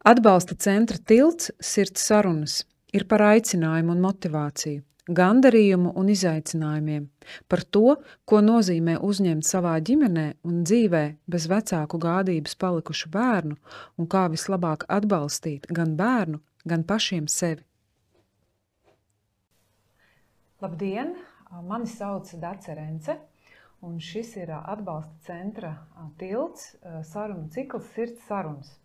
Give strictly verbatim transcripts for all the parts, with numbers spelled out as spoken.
Atbalsta centra tilts Sirds sarunas ir par aicinājumu un motivāciju, gandarījumu un izaicinājumiem, par to, ko nozīmē uzņemt savā ģimenē un dzīvē bez vecāku gādības palikušu bērnu un kā vislabāk atbalstīt gan bērnu, gan pašiem sevi. Labdien! Mani sauc Dace Rence, un šis ir atbalsta centra tilts sarunu cikls Sirds sarunas.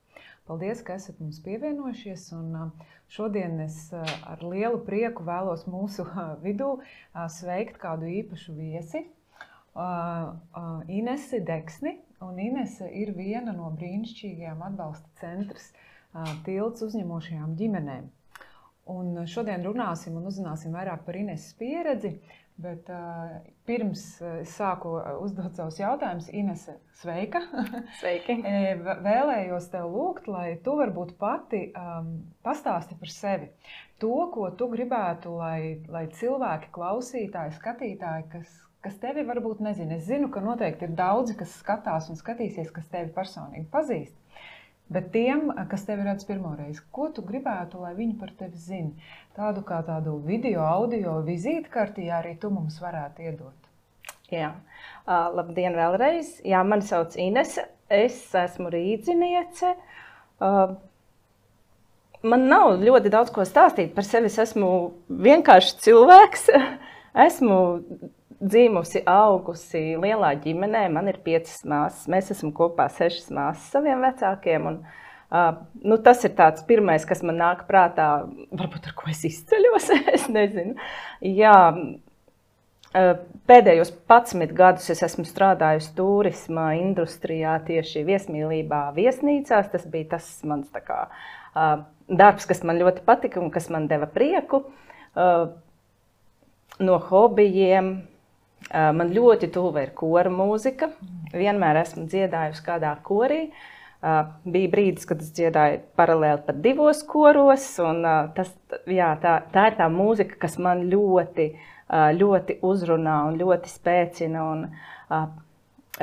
Paldies, ka esat mums pievienojušies, un šodien es ar lielu prieku vēlos mūsu vidū sveikt kādu īpašu viesi, Inesi Deksni, un Inese ir viena no brīnišķīgajām atbalsta centras tilts uzņemošajām ģimenēm. Un šodien runāsim un uzzināsim vairāk par Ineses pieredzi, bet uh, pirms es sāku uzdot savus jautājumus, Inese, sveika! Sveiki! Vēlējos tev lūgt, lai tu varbūt pati um, pastāsti par sevi. To, ko tu gribētu, lai, lai cilvēki, klausītāji, skatītāji, kas, kas tevi varbūt nezina. Es zinu, ka noteikti ir daudzi, kas skatās un skatīsies, kas tevi personīgi pazīst. Bet tiem, kas tevi redz pirmoreiz, ko tu gribētu, lai viņi par tevi zina? Tādu kā tādu video, audio vizītkarti, ja arī tu mums varētu iedot. Jā, uh, labdien vēlreiz. Jā, mani sauc Inese, es esmu rīdziniece. Uh, man nav ļoti daudz ko stāstīt par sevi, es esmu vienkārši cilvēks. Esmu dzīmusi, augusi lielā ģimenē, man ir piecas māsas, mēs esam kopā sešas māsas saviem vecākiem, un uh, nu, tas ir tāds pirmais, kas man nāk prātā, varbūt ar ko es izceļos, es nezinu. Jā, uh, pēdējos padsmit gadus es esmu strādājusi turisma industrijā, tieši viesmīlībā viesnīcās, tas bija tas mans tā kā uh, darbs, kas man ļoti patika un kas man deva prieku. Uh, no hobijiem, man ļoti tuva ir kora mūzika. Vienmēr esmu dziedājusi kādā korī. Bija brīdis, kad es dziedāju paralēli pat divos koros. Un tas, jā, tā, tā ir tā mūzika, kas man ļoti, ļoti uzrunā un ļoti spēcina. Un,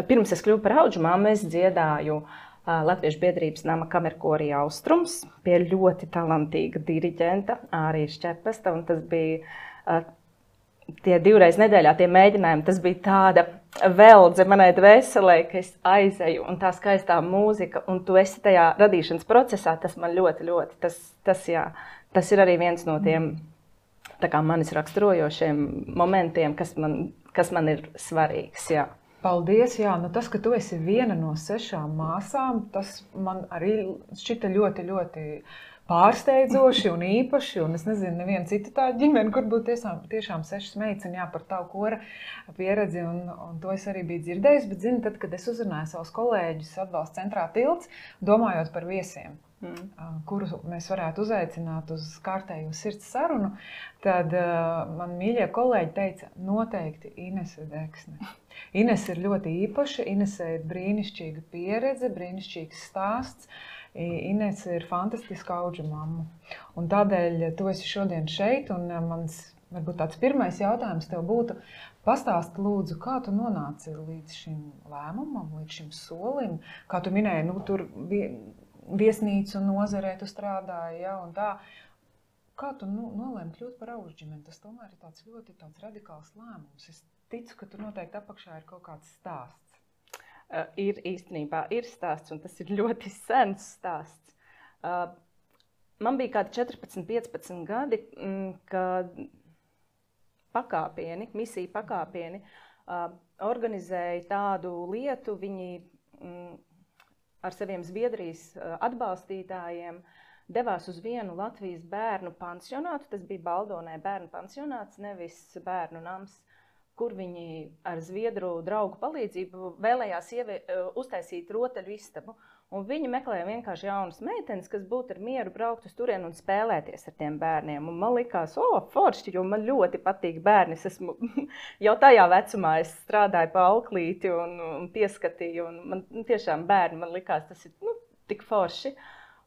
pirms es kļuvu par audžu mammu, es dziedāju Latviešu biedrības nama kamerkorī Austrums pie ļoti talantīga diriģenta Ārija Šķepesta. Un tas bija tie divreiz nedēļā tie mēģinājumi, tas bija tāda veldze manai dvēselē, ka es aizeju un tā skaistā mūzika, un tu esi tajā radīšanas procesā, tas man ļoti, ļoti, tas, tas, jā, tas ir arī viens no tiem tā kā manis raksturojošiem momentiem, kas man, kas man ir svarīgs, jā. Paldies, jā, nu tas, ka tu esi viena no sešām māsām, tas man arī šķita ļoti, ļoti pārsteidzoši un īpaši, un es nezinu, neviena cita tā ģimene, kur būtu tiešām, tiešām sešas meitas, un jā, par tavu kora pieredzi, un, un to es arī biju dzirdējusi, bet zinu, tad, kad es uzrunāju savus kolēģus atbalsta centrā tilts, domājot par viesiem, mm. kuru mēs varētu uzaicināt uz kārtējo sirds sarunu, tad uh, man mīļie kolēģi teica, noteikti Inese Deksne. Inese ir ļoti īpaša, Inese ir brīnišķīga pieredze, brīnišķīgs stāsts. Inese ir fantastiska audžu mamma. Un tādēļ tu esi šodien šeit, un mans, varbūt tāds pirmais jautājums tev būtu, pastāst lūdzu, kā tu nonāci līdz šim lēmumam, līdz šim solim, kā tu minēji, nu, tur viesnīcu nozarē tu strādāji, ja, un tā. Kā tu nu, nolēmi kļūt par audžģimeni? Tas tomēr ir tāds ļoti tāds radikāls lēmums. Es ticu, ka tur noteikti apakšā ir kaut kāds stāsts. Uh, ir īstenībā ir stāsts, un tas ir ļoti sens stāsts. Uh, man bija kādi četrpadsmit, piecpadsmit gadi, mm, kad pakāpieni, misija pakāpieni uh, organizēja tādu lietu, viņi mm, ar saviem Zviedrijas uh, atbalstītājiem devās uz vienu Latvijas bērnu pansionātu, tas bija Baldonē bērnu pansionāts, nevis bērnu nams, kur viņi ar zviedru draugu palīdzību vēlējās ievie, uztaisīt rotaļu istabu. Un viņi meklēja vienkārši jaunas meitenes, kas būtu ar mieru braukt uz turienu un spēlēties ar tiem bērniem. Un man likās, o, forši, jo man ļoti patīk bērni. Es esmu, jau tajā vecumā es strādāju pa auklīti un, un pieskatīju. Un man tiešām bērni, man likās, tas ir nu, tik forši.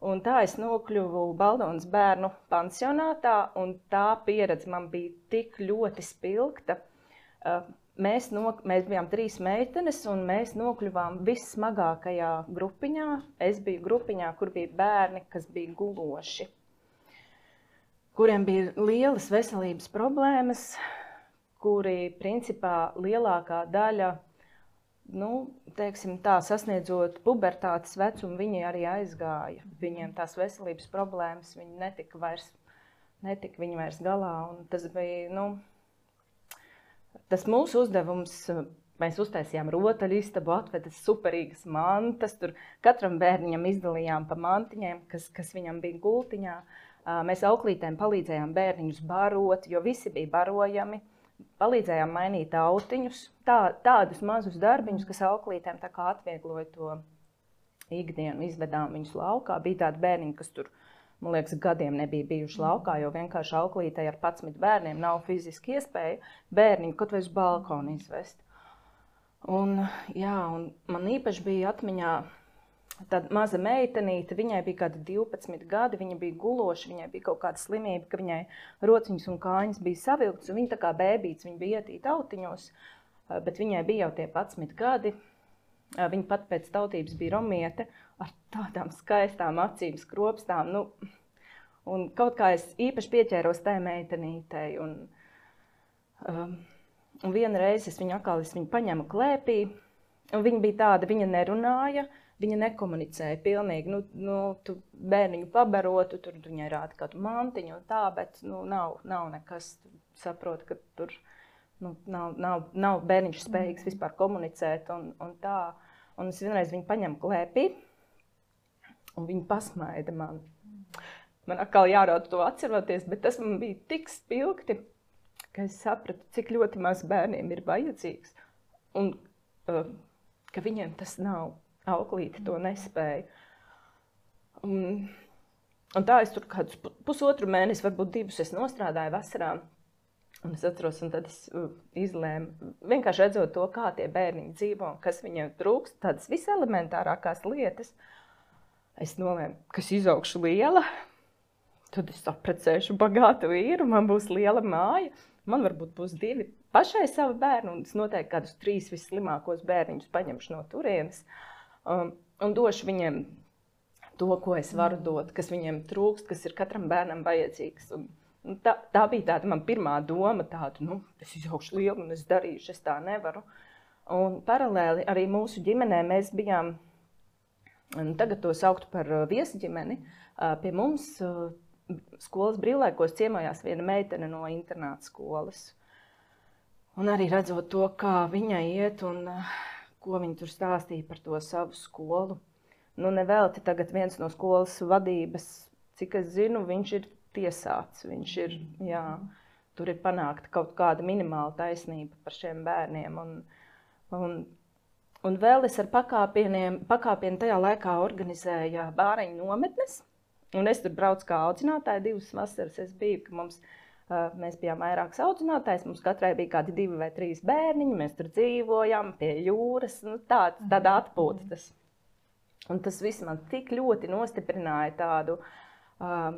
Un tā es nokļuvu Baldonas bērnu pansionātā, un tā pieredze man bija tik ļoti spilgta. mēs, no, mēs bijām trīs meitenes, un mēs nokļuvām vissmagākajā grupiņā. Es biju grupiņā, kur bija bērni, kas bija guloši, kuriem bija lielas veselības problēmas, kuri principā lielākā daļa, nu, teiksim tā, sasniedzot pubertātes vecumu, viņi arī aizgāja. Viņiem tās veselības problēmas, viņi netika vairs, netika viņi vairs galā, un tas bija, nu, tas mūsu uzdevums, mēs uztaisījām rotaļistabu, atvedas superīgas mantas, tur katram bērniņam izdalījām pa mantiņiem, kas, kas viņam bija gultiņā. Mēs auklītēm palīdzējām bērniņus barot, jo visi bija barojami. Palīdzējām mainīt autiņus, tā, tādus mazus darbiņus, kas auklītēm tā kā atviegloja to ikdienu, izvedām viņus laukā. Bija tādi bērniņi, kas tur, man liekas, gadiem nebija bijuši laukā, jo vienkārši auklītei ar padsmit bērniem nav fiziski iespēja bērniņu kaut vai uz balkonu izvest. Un, jā, un man īpaši bija atmiņā tāda maza meitenīte, viņai bija kādi divpadsmit gadi, viņa bija guloša, viņai bija kaut kāda slimība, ka viņai rociņas un kājas bija savilktas, un viņa tā kā bēbīts, viņa bija ietīta autiņos, bet viņai bija jau tie padsmit gadi. Viņa pat pēc tautības bija romiete, ar tādām skaistām acīm, skropstām, nu, un kaut kā es īpaši pieķēros tai meitenītei, un, um, un viena reize es viņu atkal, es viņu paņēmu klēpī, un viņa bija tāda, viņa nerunāja, viņa nekomunicēja pilnīgi, nu, nu tu bērniņu pabarotu, tur viņai rāda kādu mantiņu un tā, bet, nu, nav, nav nekas, saprot, ka tur, nu, nav, nav, nav bērniņš spējīgs vispār komunicēt un, un tā. Un es vienreiz viņu paņemu klēpī, un viņa pasmaida man. Man atkal jārauda to atceroties, bet tas man bija tik spilgti, ka es sapratu, cik ļoti maz bērniem ir vajadzīgs, un uh, ka viņiem tas nav. Auklīte to nespēja. Un, un tā es tur kādus pusotru mēnesi, varbūt divus es nostrādāju vasarā. Un es atceros, un tad es uh, izlēmu, vienkārši redzot to, kā tie bērniņi dzīvo, kas viņiem trūkst, tādas viselementārākās lietas. Es nolēmu, ka es izaugšu liela, tad es apprecēšu bagātu vīru, man būs liela māja, man varbūt būs divi pašai savi bērni, un es noteikti kādus trīs visslimākos bērniņus paņemšu no turienes. Um, un došu viņiem to, ko es varu dot, kas viņiem trūkst, kas ir katram bērnam vajadzīgs. Un, un tā, tā bija tāda man pirmā doma, tāda, nu, es izaugšu lielu un es darīšu, es tā nevaru. Un paralēli arī mūsu ģimenē mēs bijām, tagad to sauktu par viesģimeni, pie mums skolas brīvlaikos ciemojās viena meitene no internāta skolas. Un arī redzot to, kā viņai iet un ko viņi tur stāstīja par to savu skolu. Nu, nevelti tagad viens no skolas vadības, cik es zinu, viņš ir tiesāts. Viņš ir, jā, tur ir panākta kaut kāda minimāla taisnība par šiem bērniem. Un, un, un vēl es ar pakāpieniem, pakāpienu tajā laikā organizēju bāreņu nometnes. Un es tur braucu kā audzinātāja, divas vasaras es biju, ka mums Mēs bijām vairākas audzinātājs, mums katrai bija kādi divi vai trīs bērniņi, mēs tur dzīvojām pie jūras, nu tā, tāda atpūta tas. Un tas viss man tik ļoti nostiprināja tādu um,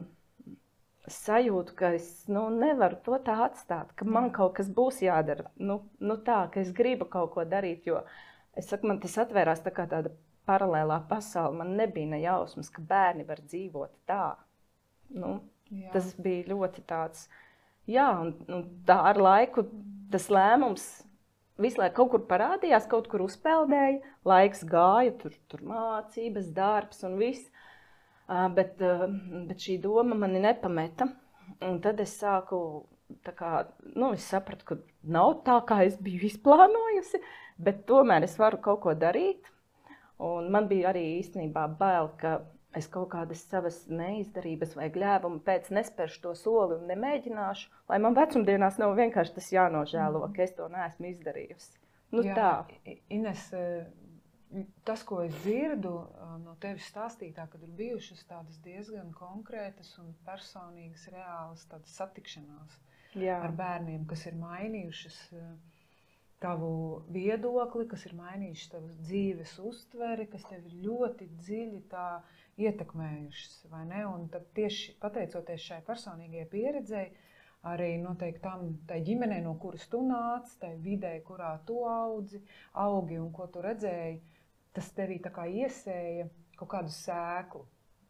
sajūtu, ka es nu, nevaru to tā atstāt, ka man kaut kas būs jādara, nu, nu tā, ka es gribu kaut ko darīt, jo es saku, man tas atvērās tā kā tāda paralēlā pasaule, man nebija ne jausmas, ka bērni var dzīvot tā. Nu, tas bija ļoti tāds... Jā, un, un tā ar laiku tas lēmums visu laiku kaut kur parādījās, kaut kur uzpeldēja, laiks gāja, tur, tur mācības, darbs un viss. Uh, bet, uh, bet šī doma mani nepameta. Un tad es sāku, tā kā, nu, es sapratu, ka nav tā, kā es biju izplānojusi, bet tomēr es varu kaut ko darīt. Un man bija arī īstenībā bail, ka es kaut kādas savas neizdarības vai gļēvumu pēc nespēršu to soli un nemēģināšu, lai man vecumdienās nav vienkārši tas jānožēlo, ka es to neesmu izdarījusi. Nu, Jā, tā. Ines, tas, ko es dzirdu no tevis stāstītā, kad ir bijušas tādas diezgan konkrētas un personīgas, reālas tādas satikšanās Jā. Ar bērniem, kas ir mainījušas tavu viedokli, kas ir mainījuši tavu dzīves uztveri, kas tev ir ļoti dziļi tā ietekmējušas, vai ne? Un tad tieši pateicoties šai personīgajai pieredzei, arī noteikti tam, tai ģimenei, no kuras tu nāc, tai vidē, kurā tu audzi, augi un ko tu redzēji, tas tevī tā kā iesēja kaut kādu sēklu.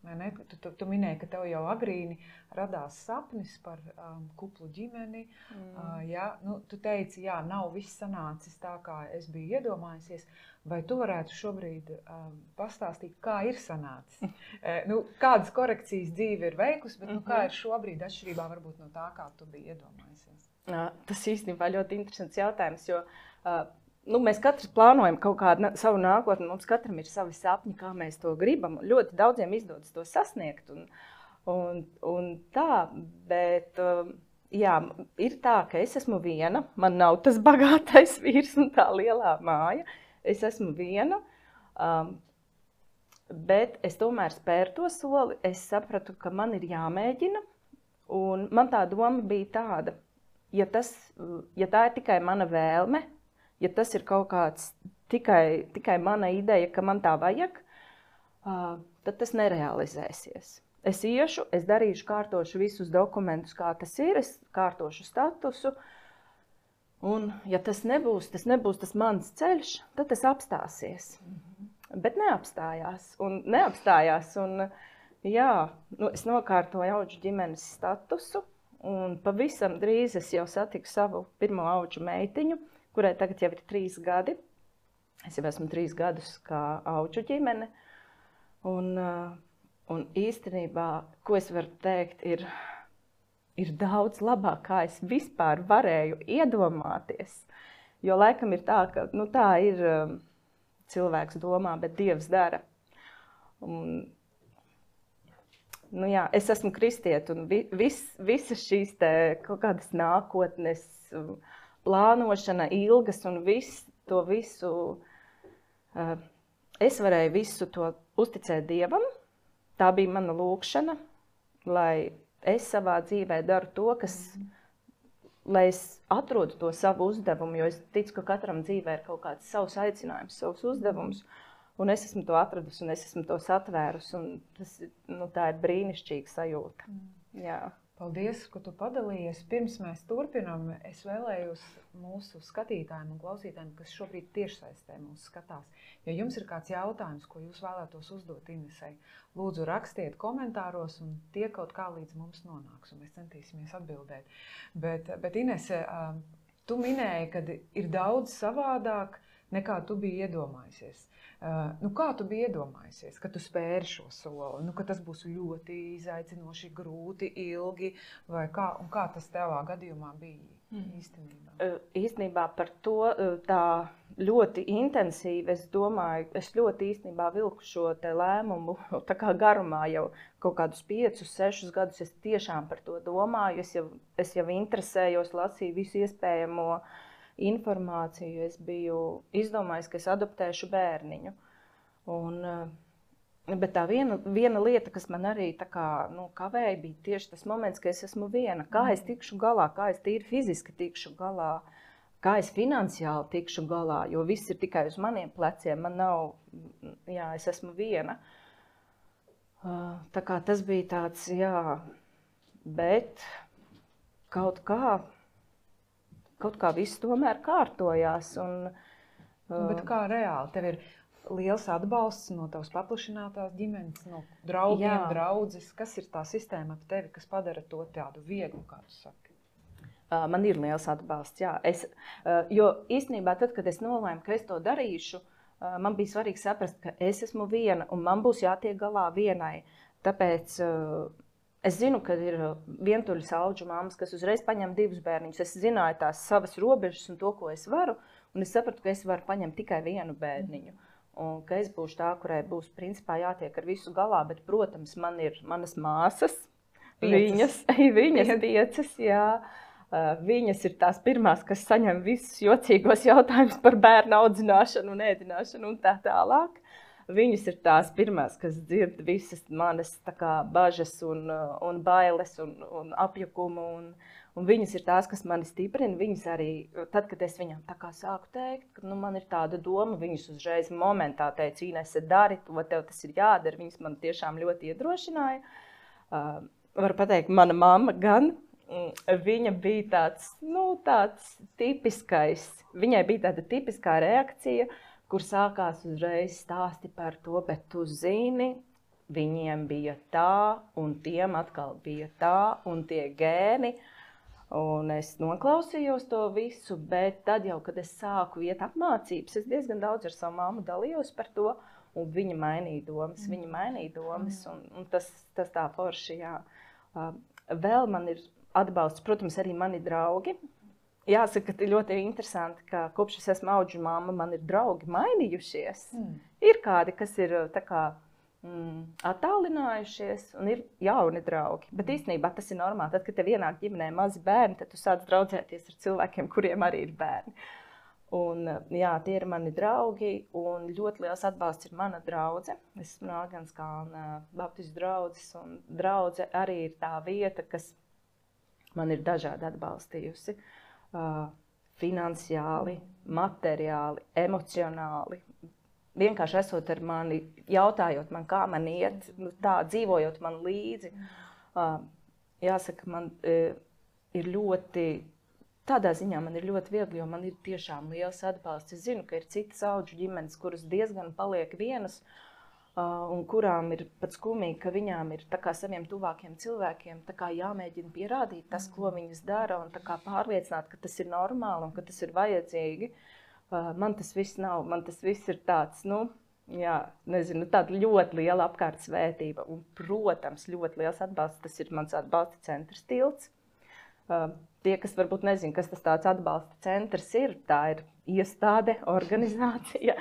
Ne? Tu, tu, tu minēji, ka tev jau agrīni radās sapnis par um, kuplu ģimeni. Mm. Uh, ja? Nu, tu teici, jā, nav viss sanācis tā, kā es biju iedomājusies. Vai tu varētu šobrīd um, pastāstīt, kā ir sanācis? e, nu, kādas korekcijas dzīve ir veikusi, bet nu, kā ir šobrīd atšķirībā varbūt no tā, kā tu biji iedomājusies? Jā, tas īstenībā ļoti interesants jautājums, jo uh, Nu, mēs katrs plānojam kaut kādu savu nākotni, mums katram ir savi sapņi, kā mēs to gribam. Ļoti daudziem izdodas to sasniegt un, un, un tā, bet jā, ir tā, ka es esmu viena, man nav tas bagātais vīrs un tā lielā māja. Es esmu viena, um, bet es tomēr spēru to soli, es sapratu, ka man ir jāmēģina, un man tā doma bija tāda, ja, tas, ja tā ir tikai mana vēlme, ja tas ir kaut kāds tikai, tikai mana ideja, ka man tā vajag, uh, tad tas nerealizēsies. Es iešu, es darīšu, kārtošu visus dokumentus, kā tas ir, es kārtošu statusu, un ja tas nebūs, tas nebūs tas mans ceļš, tad tas apstāsies. Mm-hmm. Bet neapstājās, un neapstājās, un jā, nu, es nokārtoju auģu ģimenes statusu, un pavisam drīz es jau satiku savu pirmo auģu meitiņu, kurai tagad jau ir trīs gadi. Es jau esmu trīs gadus kā auģu ģimene. Un, un īstenībā, ko es varu teikt, ir, ir daudz labāk, kā es vispār varēju iedomāties. Jo laikam ir tā, ka nu, tā ir cilvēks domā, bet Dievs dara. Un, nu jā, es esmu kristiete un vis, visas šīs te kaut kādas nākotnes plānošana, ilgas un viss, to visu, uh, es varēju visu to uzticēt Dievam. Tā bija mana lūkšana, lai es savā dzīvē daru to, kas, mm. lai es atrodu to savu uzdevumu, jo es ticu, ka katram dzīvē ir kaut kāds savs aicinājums, savs uzdevums, un es esmu to atradusi, un es esmu to satvērus, un tas, nu, tā ir brīnišķīga sajūta. Mm. Jā. Paldies, ka tu padalījies. Pirms mēs turpinām, es vēlējos mūsu skatītājiem un klausītājiem, kas šobrīd tiešsaistē mūs skatās. Ja jums ir kāds jautājums, ko jūs vēlētos uzdot Inesei, lūdzu rakstiet komentāros un tie kaut kā līdz mums nonāks, un mēs centīsimies atbildēt. Bet, bet Inese, tu minēji, ka ir daudz savādāk, nekā tu biji iedomājusies. Uh, nu, kā tu biji iedomājusies, ka tu spēri šo soli, nu, ka tas būs ļoti izaicinoši, grūti, ilgi, vai kā, un kā tas tevā gadījumā bija mm. īstenībā? Uh, īstenībā par to tā ļoti intensīvi, es domāju, es ļoti īstenībā vilku šo te lēmumu, tā kā garumā jau kaut kādus piecus, sešus gadus es tiešām par to domāju, es jau, es jau interesējos, lasīju visu iespējamo informāciju, es biju izdomājis, ka es adoptēšu bērniņu. Un, bet tā viena, viena lieta, kas man arī tā kā, nu, kavēja, bija tieši tas moments, ka es esmu viena. Kā es tikšu galā, kā es tīri fiziski tikšu galā, kā es finansiāli tikšu galā, jo viss ir tikai uz maniem pleciem, man nav, jā, es esmu viena. Tā kā tas bija tāds, jā, bet kaut kā, kaut kā viss tomēr kārtojās. Un, bet kā reāli? Tev ir liels atbalsts no tavas paplašinātās ģimenes, no draugiem, jā. Draudzes. Kas ir tā sistēma ap tevi, kas padara to tādu vieglu, kā tu saki? Man ir liels atbalsts, jā. Es, jo īstenībā tad, kad es nolēmu, ka es to darīšu, man bija svarīgi saprast, ka es esmu viena un man būs jātiek galā vienai. Tāpēc es zinu, ka ir vientuļas auģu mammas, kas uzreiz paņem divus bērniņus. Es zināju tās savas robežas un to, ko es varu, un es sapratu, ka es varu paņemt tikai vienu bērniņu. Un ka es būšu tā, kurai būs principā jātiek ar visu galā, bet, protams, man ir manas māsas, piecas. viņas, viņas piecas, jā. Viņas ir tās pirmās, kas saņem visus jocīgos jautājumus par bērnu audzināšanu un ēdināšanu un tā tālāk. Viņas ir tās pirmās, kas dzird visas manas tā kā bažas un, un bailes un, un apjukumu. Un, un viņas ir tās, kas mani stiprina. Viņas arī, tad, kad es viņām tā kā sāku teikt, ka nu, man ir tāda doma, viņas uzreiz momentā teica, Inese, dari to, tev tas ir jādara. Viņas man tiešām ļoti iedrošināja. Uh, varu pateikt, mana mamma gan, viņa bija tāds, nu, tāds tipiskais, viņai bija tāda tipiskā reakcija, kur sākās uzreiz stāsti par to, bet tu zini, viņiem bija tā, un tiem atkal bija tā, un tie gēni. Un es noklausījos to visu, bet tad jau, kad es sāku iet apmācības, es diezgan daudz ar savu mammu dalījos par to, un viņa mainīja domas, mm. viņa mainīja domas, un, un tas, tas tā forši, jā. Uh, vēl man ir atbalsts, protams, arī mani draugi. Jāsaka, ka ir ļoti interesanti, ka kopš es esmu audžu mamma, man ir draugi mainījušies. Mm. Ir kādi, kas ir tā kā mm, attālinājušies, un ir jauni draugi. Bet īstenībā tas ir normāli. Tad, kad tev ienāk ģimenē mazi bērni, tad tu sāc draudzēties ar cilvēkiem, kuriem arī ir bērni. Un, jā, tie ir mani draugi, un ļoti liels atbalsts ir mana draudze. Es esmu no Agenskalna baptistu draudzes, un draudze arī ir tā vieta, kas man ir dažādi atbalstījusi. Uh, finansiāli, materiāli, emocionāli. Vienkārši esot ar mani, jautājot man, kā man iet, nu, tā, dzīvojot man līdzi. Uh, jāsaka, man uh, ir ļoti... Tādā ziņā man ir ļoti viegli, jo man ir tiešām liels atbalsts. Es zinu, ka ir citas audžu ģimenes, kuras diezgan paliek vienas, uh, un kurām ir pat skumīgi, ka viņām ir tā kā saviem tuvākiem cilvēkiem tā kā jāmēģina pierādīt tas, ko viņas dara, un tā kā pārliecināt, ka tas ir normāli un ka tas ir vajadzīgi. Uh, man tas viss nav, man tas viss ir tāds, nu, jā, nezinu, tāda ļoti liela apkārt svētība. Un, protams, ļoti liels atbalsts, tas ir mans atbalsta centrs Tilts. Uh, tie, kas varbūt nezina, kas tas tāds atbalsta centrs ir, tā ir iestāde, organizācija.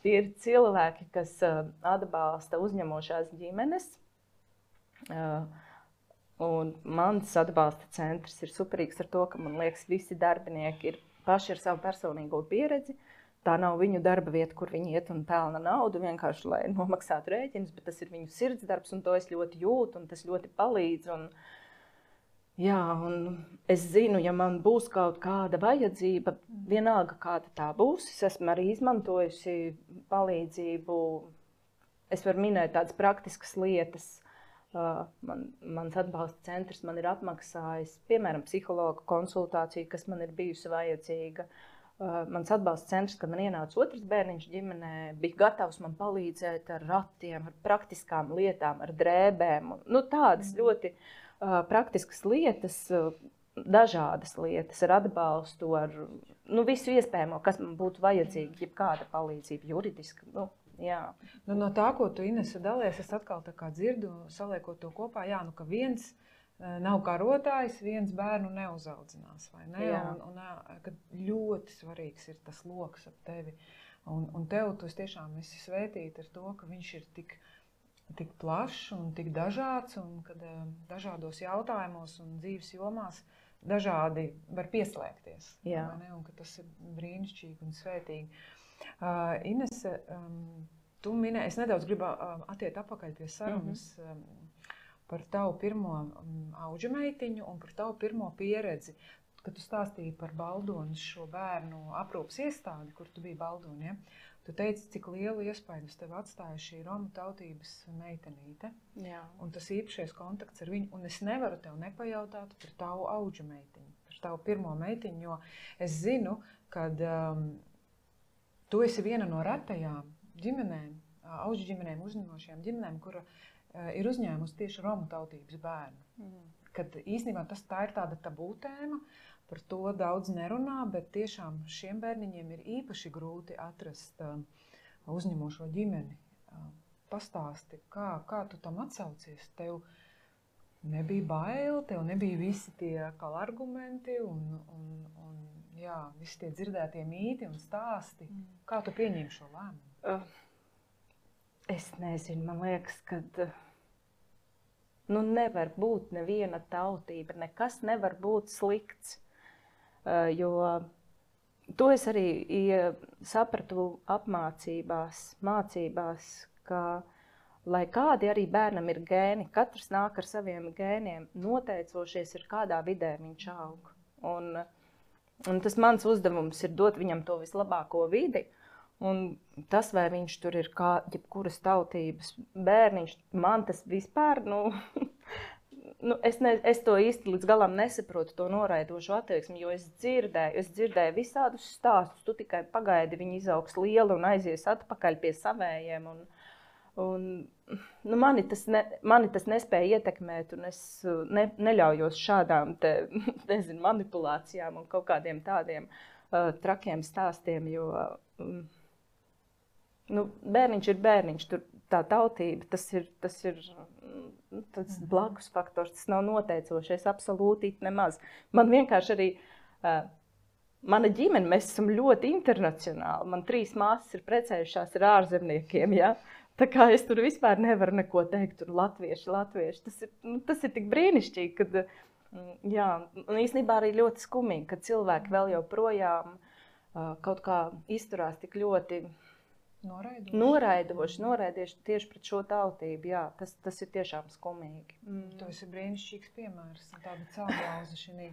Tie ir cilvēki, kas uh, atbalsta uzņemošās ģimenes. Uh, un mans atbalsta centrs ir superīgs ar to, ka, man liekas, visi darbinieki ir paši ar savu personīgo pieredzi. Tā nav viņu darba vieta, kur viņi iet un pelna naudu, vienkārši, lai nomaksātu rēķinus, bet tas ir viņu sirdsdarbs, un to es ļoti jūtu, un tas ļoti palīdz. Un, jā, un es zinu, ja man būs kaut kāda vajadzība, vienalga kāda tā būs, es esmu arī izmantojusi palīdzību. Es varu minēt tādas praktiskas lietas. Man, mans atbalsta centrs man ir apmaksājis, piemēram, psihologa konsultāciju, kas man ir bijusi vajadzīga. Mans atbalsta centrs, kad man ienāca otrs bērniņš ģimenē, bija gatavs man palīdzēt ar ratiem, ar praktiskām lietām, ar drēbēm. Nu, tādas mm. ļoti uh, praktiskas lietas, uh, dažādas lietas, ar atbalstu, ar nu, visu iespējamo, kas man būtu vajadzīga, jebkāda palīdzība, juridiska. Nu, jā. Nu, no tā, ko tu, Inese, dalies, es atkal tā kā dzirdu, saliekot to kopā, jā, nu, ka viens nav karotājs, viens bērnu neuzaudzinās, vai ne? Jā. Un, un kad ļoti svarīgs ir tas loks ap tevi. Un, un tev tu tiešām esi svētīta ar to, ka viņš ir tik, tik plašs un tik dažāds, un kad dažādos jautājumos un dzīves jomās dažādi var pieslēgties. Jā. Vai ne? Un ka tas ir brīnišķīgi un svētīgi. Uh, Inese, um, tu minēji, es nedaudz gribu uh, attiet apakaļ pie sarunas, mm-hmm. um, par tavu pirmo um, audžu meitiņu un par tavu pirmo pieredzi, kad tu stāstīji par Baldonas šo bērnu aprūpas iestādi, kur tu biji Baldoni, ja? Tu teici, cik lielu iespaidu uz tevi atstāja šī romu tautības meitenīte. Jā. Un tas īpašais kontakts ar viņu, un es nevaru tev nepajautāt par tavu audžu meitiņu, par tavu pirmo meitiņu, jo es zinu, kad um, tu esi viena no retajām ģimenēm, audžu ģimenēm, uzņemošajām ģimenēm, kura ir uzņēmusi tieši romu tautības bērnu. Mm. Kad īstenībā tas tā ir tāda tabū tēma, par to daudz nerunā, bet tiešām šiem bērniņiem ir īpaši grūti atrast uh, uzņemošo ģimeni. Uh, pastāsti, kā, kā tu tam atsaucies? Tev nebija bail, tev nebija visi tie argumenti un, un, un jā, visi tie dzirdētie mīti un stāsti. Mm. Kā tu pieņēmi šo lēmumu? Uh. Es nezinu, man liekas, ka nu, nevar būt neviena tautība, nekas nevar būt slikts. Uh, jo to es arī ja, sapratu apmācībās, mācībās, ka, lai kādi arī bērnam ir gēni, katrs nāk ar saviem gēniem, noteicošies ir kādā vidē viņš aug. Un, un tas mans uzdevums ir dot viņam to vislabāko vidi. Un tas, vai viņš tur ir kā jebkuras tautības bērniņš, man tas vispār, nu, nu, es, ne, es to īsti līdz galam nesaprotu, to noraidošu attieksmi, jo es dzirdēju, es dzirdēju visādus stāstus, tu tikai pagaidi, viņi izaugs lieli un aizies atpakaļ pie savējiem. Un, un, nu, mani, tas ne, mani tas nespēja ietekmēt, un es ne, neļaujos šādām te, nezinu, manipulācijām un kaut kādiem tādiem uh, trakiem stāstiem, jo um, nu, bērniņš ir bērniņš, tur tā tautība, tas ir, tas ir tas blakus faktors, tas nav noteicošais, absolūti nemaz. Man vienkārši arī, uh, mana ģimene, mēs esam ļoti internacionāli. Man trīs māsas ir precējušās ar ārzemniekiem, ja? Tā kā es tur vispār nevaru neko teikt, tur latvieši, latvieši. Tas ir, nu, tas ir tik brīnišķīgi, kad, jā, un īstenībā arī ļoti skumīgi, ka cilvēki vēl joprojām uh, kaut kā izturās tik ļoti Noraidoši. Noraidoši, noraidoši tieši pret šo tautību, jā, tas, tas ir tiešām skumīgi. Mm. Tas ir brīnišķīgs piemērs, tāda celgauza šī,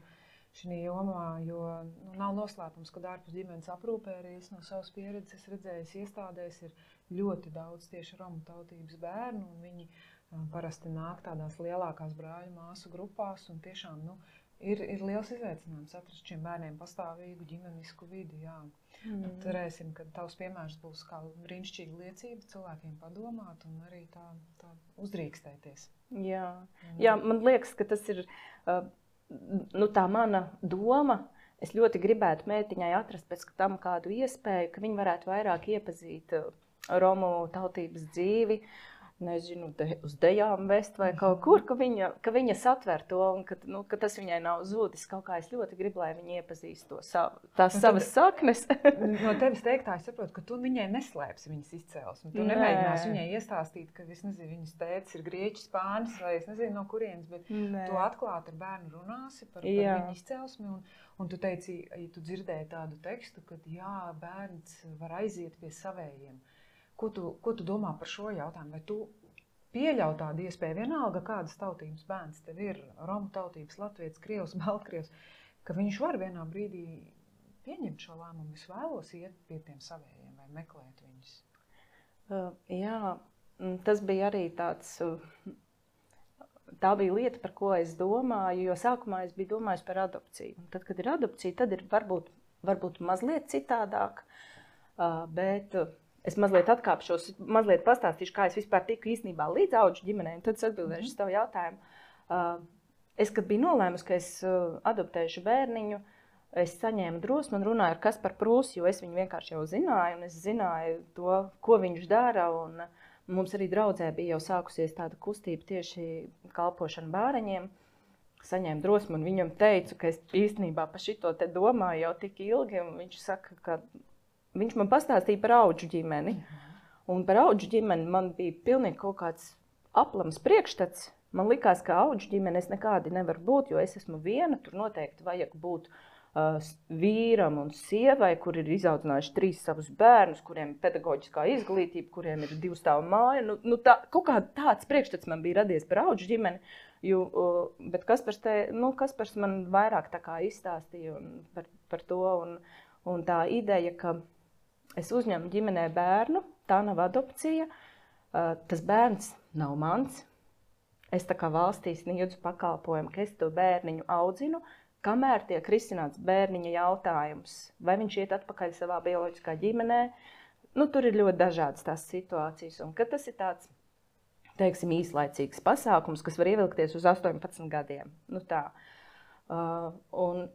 šī jomā, jo nu, nav noslēpums, kad ārpus ģimenes aprūpē arī es no savas pieredzes redzējis iestādēs ir ļoti daudz tieši romu tautības bērnu, un viņi uh, parasti nāk tādās lielākās brāļu māsu grupās, un tiešām, nu, Ir, ir liels izaicinājums atrast šiem bērniem pastāvīgu ģimenisku vidi. Jā. Mm. Cerēsim, ka tavs piemērs būs kā brīnišķīga liecība cilvēkiem padomāt un arī tā, tā uzdrīkstēties. Jā. Jā, man liekas, ka tas ir uh, nu, tā mana doma. Es ļoti gribētu meitiņai atrast pēc tam kādu iespēju, ka viņi varētu vairāk iepazīt uh, romu tautības dzīvi. Nezinu, de, uz dejām vest vai kaut kur, ka viņa, ka viņa satver to un ka, nu, ka tas viņai nav zudis. Kaut kā es ļoti gribu, lai viņa iepazīst to savu, tās nu, savas saknes. No tevis teiktā es saprotu, ka tu viņai neslēpsi viņas izcelsmi. Tu Nē. nemēģināsi viņai iestāstīt, ka es nezinu, viņas tētis ir grieķis, spānis vai es nezinu no kurienes, bet Nē. tu atklāti ar bērnu runāsi par, par viņu izcelsmi un, un tu teici, ja tu dzirdēji tādu tekstu, ka jā, bērns var aiziet pie savējiem. Ko tu, ko tu domā par šo jautājumu? Vai tu pieļauj tādu iespēju vienalga, kādas tautības bērns tev ir, romu tautības, latvietis, krievs, baltkrievs, ka viņš var vienā brīdī pieņemt šo lēmumu, es vēlos iet pie tiem savējiem vai meklēt viņus? Uh, jā, tas bija arī tāds, tā bija lieta, par ko es domāju, jo sākumā es biju domājis par adopciju. Un tad, kad ir adopcija, tad ir varbūt, varbūt mazliet citādāk, uh, bet es mazliet atkāpšos, mazliet pastāstīšu, kā es vispār tiku īstenībā līdz audžu ģimenei, un tad es atbildēšu uz tavu jautājumu. Uh, es, kad biju nolēmusi, ka es uh, adoptēšu bērniņu, es saņēmu drosmi un runāju ar Kasparu Prūsi, jo es viņu vienkārši jau zināju, un es zināju to, ko viņš dara, un mums arī draudzē bija jau sākusies tāda kustība tieši kalpošana bāreņiem. Saņēmu drosmi un viņam teicu, ka es īstenībā par šito te domāju jau tik ilgi, un viņš saka, ka viņš man pastāstīja par audžu ģimeni, un par audžu ģimeni man bija pilnīgi kaut kāds aplams priekšstats. Man likās, ka audžu ģimenes nekādi nevar būt, jo es esmu viena, tur noteikti vajag būt uh, vīram un sievai, kur ir izaudzinājuši trīs savus bērnus, kuriem ir pedagoģiskā izglītība, kuriem ir divu stāvu māja. Nu, nu tā, kaut kā tāds priekšstats man bija radies par audžu ģimeni, jo, uh, bet Kaspars, te, nu, Kaspars man vairāk tā kā izstāstīja par, par to, un, un tā ideja, ka es uzņemu ģimenē bērnu, tā nav adopcija, tas bērns nav mans. Es tā kā valstī sniedzu pakalpojumu, ka es to bērniņu audzinu, kamēr tiek risināts bērniņa jautājums. Vai viņš iet atpakaļ savā bioloģiskā ģimenē? Nu, tur ir ļoti dažādas tās situācijas. Un kad tas ir tāds, teiksim, īslaicīgs pasākums, kas var ievilkties uz astoņpadsmit gadiem. Nu tā. Uh, un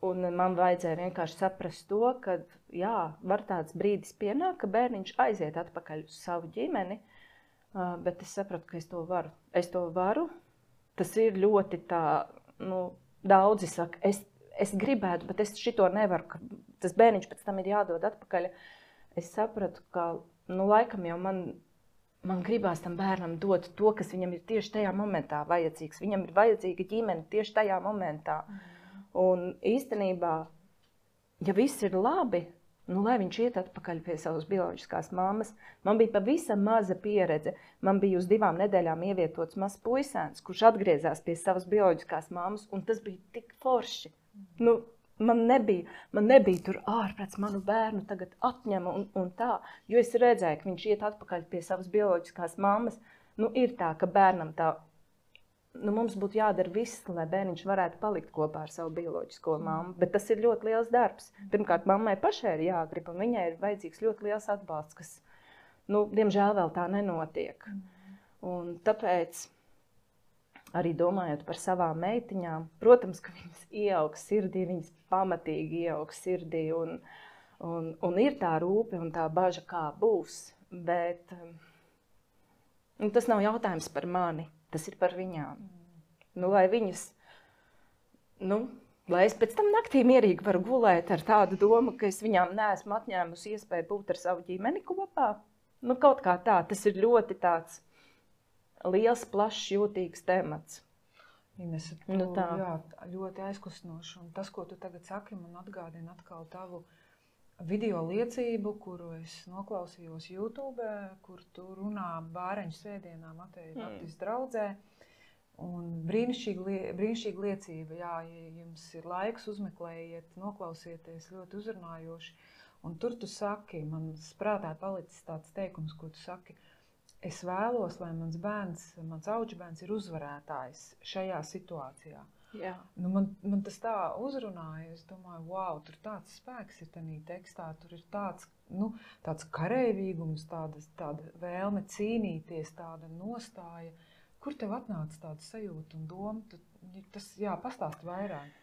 Un man vajadzēja vienkārši saprast to, ka jā, var tāds brīdis pienākt, ka bērniņš aiziet atpakaļ uz savu ģimeni, bet es sapratu, ka es to varu. Es to varu. Tas ir ļoti tā, nu, daudzi saka, es, es gribētu, bet es šito nevaru, ka tas bērniņš pēc tam ir jādod atpakaļ. Es sapratu, ka, nu, laikam jau man, man gribās tam bērnam dot to, kas viņam ir tieši tajā momentā vajadzīgs. Viņam ir vajadzīga ģimene tieši tajā momentā. Mm. Un īstenībā, ja viss ir labi, nu, lai viņš iet atpakaļ pie savas bioloģiskās mammas, man bija pavisam maza pieredze. Man bija uz divām nedēļām ievietots mazs puisēns, kurš atgriezās pie savas bioloģiskās mammas, un tas bija tik forši. Nu, man nebija, man nebija tur ārprāts manu bērnu tagad atņem un, un tā, jo es redzēju, ka viņš iet atpakaļ pie savas bioloģiskās mammas. Nu, ir tā, ka bērnam tā, nu, mums būtu jādara viss, lai bērniņš varētu palikt kopā ar savu bioloģisko mammu. Bet tas ir ļoti liels darbs. Pirmkārt, mammai pašai ir jāgrib, un viņai ir vajadzīgs ļoti liels atbalsts, kas, nu, diemžēl vēl tā nenotiek. Un tāpēc, arī domājot par savām meitiņām, protams, ka viņas ieaugs sirdī, viņas pamatīgi ieaugs sirdī, un, un, un ir tā rūpe un tā baža, kā būs. Bet nu, tas nav jautājums par mani. Tas ir par viņām. Nu, lai viņas, nu, lai es pēc tam naktī mierīgi varu gulēt ar tādu domu, ka es viņām neesmu atņēmusi iespēju būt ar savu ģimeni kopā. Nu, kaut kā tā, tas ir ļoti tāds liels, plašs, jūtīgs temats. Ines, tu, Nu, tā. jā, ļoti aizkustinoši. Un tas, ko tu tagad saki, man atgādina atkal tavu video liecību, kuru es noklausījos YouTube, kur tu runā bāreņu svētdienā Mateja Baptistu draudzē. Un brīnišķīga, brīnišķīga liecība, jā, ja jums ir laiks, uzmeklējiet, noklausieties, ļoti uzrunājoši. Un tur tu saki, man prātā palicis tāds teikums, ko tu saki, es vēlos, lai mans bērns, mans audžbērns ir uzvarētājs šajā situācijā. Jā. Nu, man, man tas tā uzrunāja, es domāju, wow, tur tāds spēks ir tenī tekstā, tur ir tāds, nu, tāds kareivīgums, tāda, tāda vēlme cīnīties, tāda nostāja. Kur tev atnāca tāda sajūta un doma? Tu, tas, jā, pastāsti vairāk.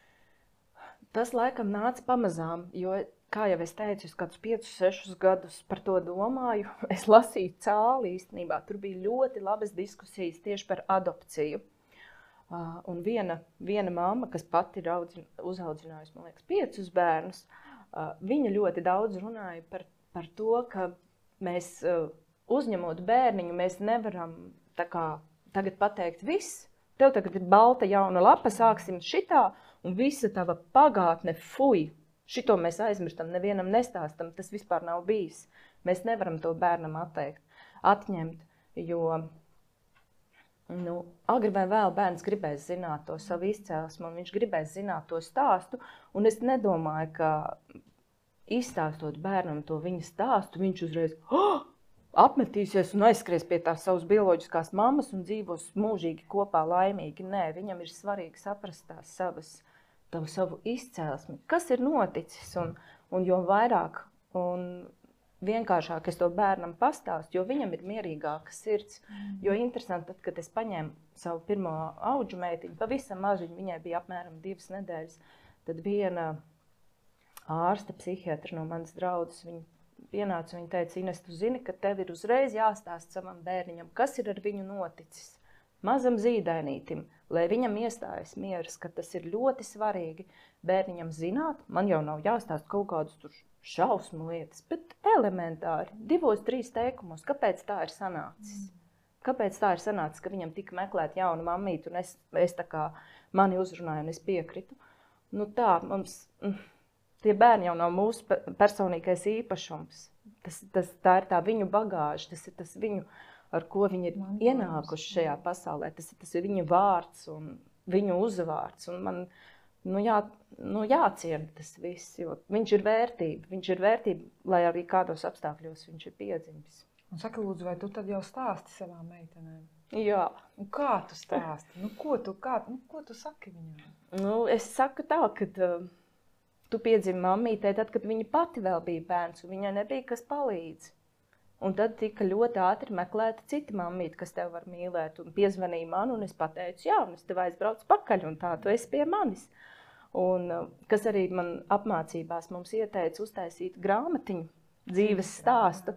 Tas laikam nāca pamazām, jo, kā jau es teicu, es kādus piecus, sešus gadus par to domāju. Es lasīju cāli īstenībā, tur bija ļoti labas diskusijas tieši par adopciju. Uh, un viena, viena mamma, kas pati ir audzin, uzaudzinājusi, man liekas, piecus bērnus, uh, viņa ļoti daudz runāja par, par to, ka mēs uh, uzņemot bērniņu, mēs nevaram tā kā tagad pateikt viss. Tev tagad ir balta jauna lapa, sāksim šitā, un visa tava pagātne, fuj, šito mēs aizmirstam, nevienam nestāstam, tas vispār nav bijis. Mēs nevaram to bērnam atteikt, atņemt, jo nu, agri vai vēl bērns gribēs zināt to savu izcelsmu, un viņš gribēs zināt to stāstu, un es nedomāju, ka izstāstot bērnam to viņa stāstu, viņš uzreiz oh! apmetīsies un aizskries pie tās savas bioloģiskās mammas un dzīvos mūžīgi kopā laimīgi. Nē, viņam ir svarīgi saprast tās savas, tavu savu izcelsmi, kas ir noticis, un, un jo vairāk un vienkāršāk es to bērnam pastāstu, jo viņam ir mierīgāka sirds. Jo interesanti, tad, kad es paņēmu savu pirmo audžu meitiņu, pavisam mažiņu, viņai bija apmēram divas nedēļas, tad viena ārsta, psihiatra no manas draudzes, viņa pienāca un viņa teica, Ines, tu zini, ka tev ir uzreiz jāstāst savam bērniņam, kas ir ar viņu noticis. Mazam zīdainītim, lai viņam iestājas mieras, ka tas ir ļoti svarīgi bērniņam zināt, man jau nav jāstāst kaut kādus tur šausmu lietas, bet elementāri, divos, trīs teikumos, kāpēc tā ir sanācis. Kāpēc tā ir sanācis, ka viņam tika meklēt jaunu mammītu, un es, es tā kā mani uzrunāju, un es piekritu. Nu tā, mums, tie bērni jau nav mūsu personīgais īpašums. Tas, tas, tā ir tā viņu bagāža, tas ir tas viņu, ar ko viņi ir man ienākuši šajā pasaulē. Tas ir tas ir viņa vārds un viņu uzvārds, un man Nu, jā, nu jāciena tas viss, jo viņš ir vērtība. Viņš ir vērtība, lai arī kādos apstākļos viņš ir piedzimis. Un saka, lūdzu, vai tu tad jau stāsti savām meitenēm? Jā. Un kā tu stāsti? Nu, ko tu, kā, nu, ko tu saki viņām? Nu, es saku tā, ka uh, tu piedzimi mammītei tad, kad viņa pati vēl bija bērns, un viņai nebija kas palīdz. Un tad tika ļoti ātri meklēta cita mammīte, kas tev var mīlēt, un piezvanīja man, un es pateicu, jā, un es tev aizbraucu pakaļ, un tā tu esi pie manis. Un kas arī man apmācībās mums ieteica uztaisīt grāmatiņu, dzīves stāstu.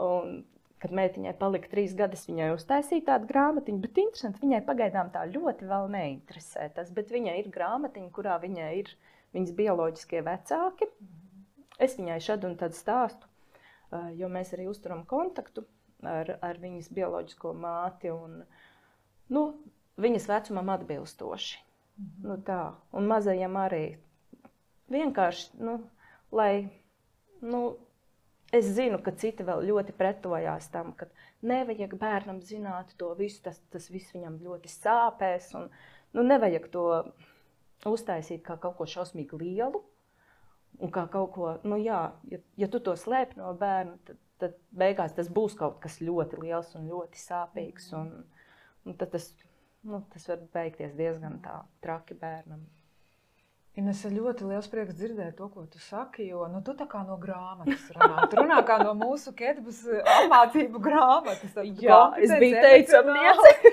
Un, kad meitiņai palika trīs gadus, viņai uztaisīja tādu grāmatiņu, bet interesanti, viņai pagaidām tā ļoti vēl neinteresē tas, bet viņai ir grāmatiņa, kurā viņai ir viņas bioloģiskie vecāki. Es viņai šad un tad stāstu, jo mēs arī uzturam kontaktu ar, ar viņas bioloģisko māti un nu, viņas vecumam atbilstoši. Mm-hmm. Nu tā, un mazajam arī vienkārši, nu, lai, nu, es zinu, ka citi vēl ļoti pretojās tam, ka nevajag bērnam zināt to visu, tas, tas viss viņam ļoti sāpēs, un, nu, nevajag to uztaisīt kā kaut ko šausmīgi lielu, un kā kaut ko, nu jā, ja, ja tu to slēp no bērna, tad, tad beigās tas būs kaut kas ļoti liels un ļoti sāpīgs, un, un tad tas nu, tas var beigties diezgan tā traki bērnam. Ines, ļoti liels prieks dzirdēt to, ko tu saki, jo nu, tu tā kā no grāmatas runā. Tu runā kā no mūsu Ketbas apmācību grāmatas. Jā, es biju teicamniece.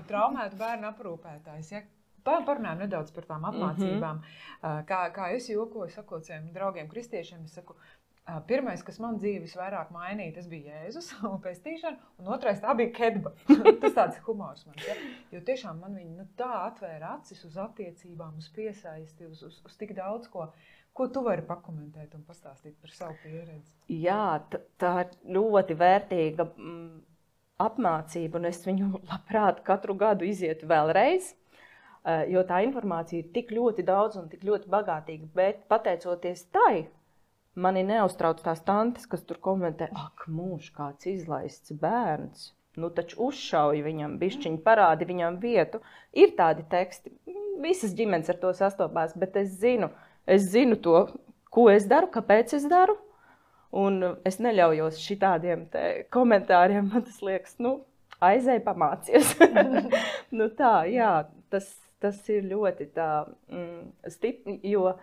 Traumētu bērnu aprūpētājs. Ja? Parunājam nedaudz par tām apmācībām. Mm-hmm. Kā, kā es jokoju, sakot saviem draugiem kristiešiem, es saku, pirmais, kas man dzīvi visvairāk mainīja, tas bija Jēzus un pestīšana, un otrais tā bija Ketba. Tas tāds humors man. Ja? Jo tiešām man viņi nu, tā atvēra acis uz attiecībām, uz piesaisti, uz, uz, uz tik daudz ko. Ko tu vari pakomentēt un pastāstīt par savu pieredzi? Jā, tā ir ļoti vērtīga mm, apmācība, un es viņu labprāt katru gadu izietu vēlreiz, jo tā informācija ir tik ļoti daudz un tik ļoti bagātīga, bet pateicoties tai, mani neuztrauc tās tantes, kas tur komentē, ak, mūž, kāds izlaists bērns, nu taču uzšauj viņam, bišķiņ parādi viņam vietu. Ir tādi teksti, visas ģimenes ar to sastopās, bet es zinu, es zinu to, ko es daru, kāpēc es daru, un es neļaujos šitādiem te komentāriem, man tas liekas, nu, aizēj pamācies. Nu tā, jā, tas, tas ir ļoti tā mm, stipri, jo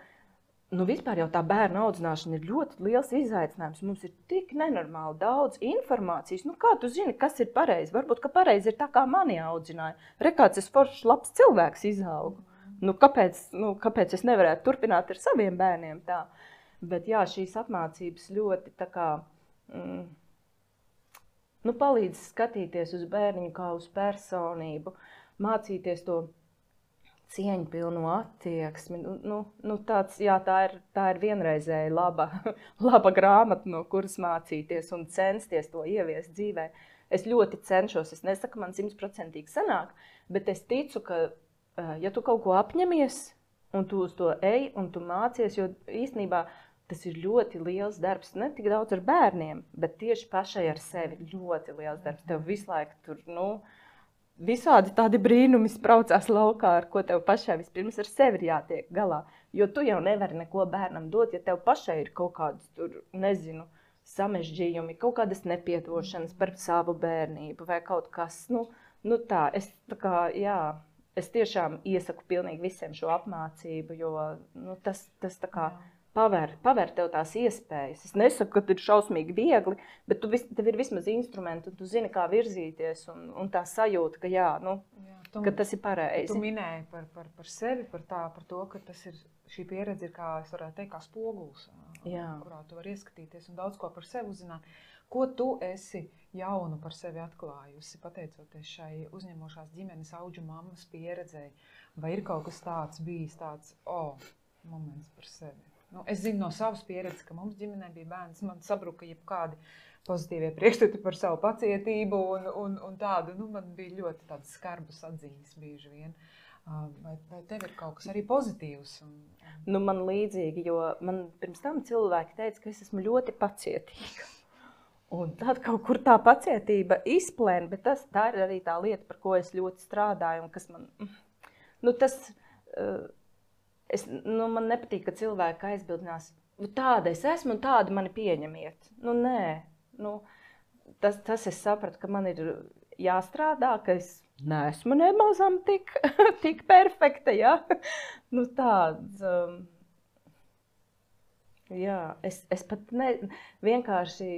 Nu, vispār jau tā bērna audzināšana ir ļoti liels izaicinājums. Mums ir tik nenormāli daudz informācijas. Nu, kā tu zini, kas ir pareizi? Varbūt, ka pareizi ir tā, kā mani audzināja. Re, kāds es foršs labs cilvēks izaugu. Nu, kāpēc, nu, kāpēc es nevarētu turpināt ar saviem bērniem tā? Bet jā, šīs apmācības ļoti tā kā, mm, nu, palīdz skatīties uz bērniņu kā uz personību, mācīties to cieņu pilnu attieksmi. Nu, nu tāds, jā, tā ir, tā ir vienreizēja laba, laba grāmata, no kuras mācīties un censties to ieviest dzīvē. Es ļoti cenšos, es nesaku, man simtprocentīgi sanāk, bet es ticu, ka, ja tu kaut ko apņemies, un tu uz to ej, un tu mācies, jo īstenībā tas ir ļoti liels darbs, ne tik daudz ar bērniem, bet tieši pašai ar sevi ļoti liels darbs. Tev visu laiku tur, nu, visādi tādi brīnumi spraucās laukā, ar ko tev pašai vispirms ar sevi ir jātiek galā. Jo tu jau nevari neko bērnam dot, ja tev pašai ir kaut kādas tur, nezinu, samežģījumi, kaut kādas nepiedošanas par savu bērnību vai kaut kas. Nu, nu tā, es tā kā, jā, es tiešām iesaku pilnīgi visiem šo apmācību, jo nu, tas, tas tā kā paver, paver tev tās iespējas. Es nesaku, ka ir šausmīgi viegli, bet tu vis, tev ir vismaz instrumenti, un tu zini, kā virzīties, un, un tā sajūta, ka jā, nu, jā, tu, ka tas ir pareizi. Tu minēji par, par, par sevi, par, tā, par to, ka tas ir, šī pieredze ir, kā es varētu teikt, kā spoguls, jā. Kurā tu vari ieskatīties un daudz ko par sevi uzzināt. Ko tu esi jaunu par sevi atklājusi, pateicoties šai uzņemošās ģimenes auģu mammas pieredzei? Vai ir kaut kas tāds bijis, tāds, o, oh, moments par sevi? Nu, es zinu no savas pieredzes, ka mums ģimenē bija bērns, man sabruka jebkādi pozitīvie priekšstati par savu pacietību un, un, un tādu, nu, man bija ļoti tādas skarbas atziņas bieži vien. Vai, vai tev ir kaut kas arī pozitīvs? Un, un... Nu, man līdzīgi, jo man pirms tam cilvēki teica, ka es esmu ļoti pacietīga. Un tad kaut kur tā pacietība izplēna, bet tas, tā ir arī tā lieta, par ko es ļoti strādāju un kas man, nu, tas... Uh, Es, nu, man nepatīk, ka cilvēki aizbildinās, nu, tāda es esmu un tāda mani pieņemiet. Nu, nē, nu, tas, tas es sapratu, ka man ir jāstrādā, ka es neesmu nemazam tik, tik perfekta, ja? Nu, tāds, um, jā, es, es pat ne, vienkārši,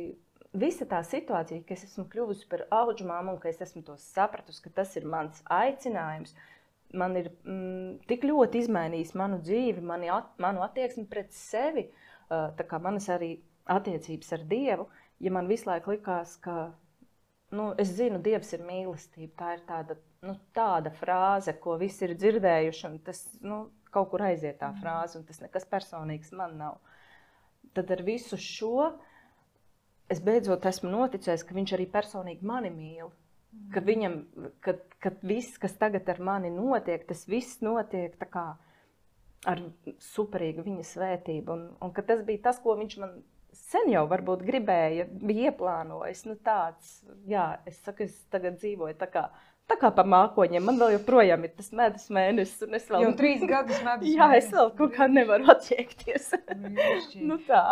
visa tā situācija, ka es esmu kļuvusi par auģu mammu un ka es esmu to sapratusi, ka tas ir mans aicinājums, man ir mm, tik ļoti izmainījis manu dzīvi, mani at, manu attieksmi pret sevi, uh, tā kā manas arī attiecības ar Dievu, ja man visu laiku likās, ka, nu, es zinu, Dievs ir mīlestība, tā ir tāda, nu, tāda frāze, ko visi ir dzirdējuši, un tas, nu, kaut kur aiziet tā frāze, un tas nekas personīgs man nav. Tad ar visu šo es beidzot esmu noticējis, ka viņš arī personīgi mani mīl. Ka viņam, kad, kad viss, kas tagad ar mani notiek, tas viss notiek tā kā ar superīgu viņa svētību. Un, un ka tas bija tas, ko viņš man sen jau varbūt gribēja, bija ieplānojis. Nu tāds, jā, es saku, es tagad dzīvoju tā kā, tā kā pa mākoņiem. Man vēl joprojām ir tas medus mēnesis. Un es vēl... Jau trīs gadus medus mēnesis. Jā, es vēl kaut kā nevaru attiekties. Nu tā.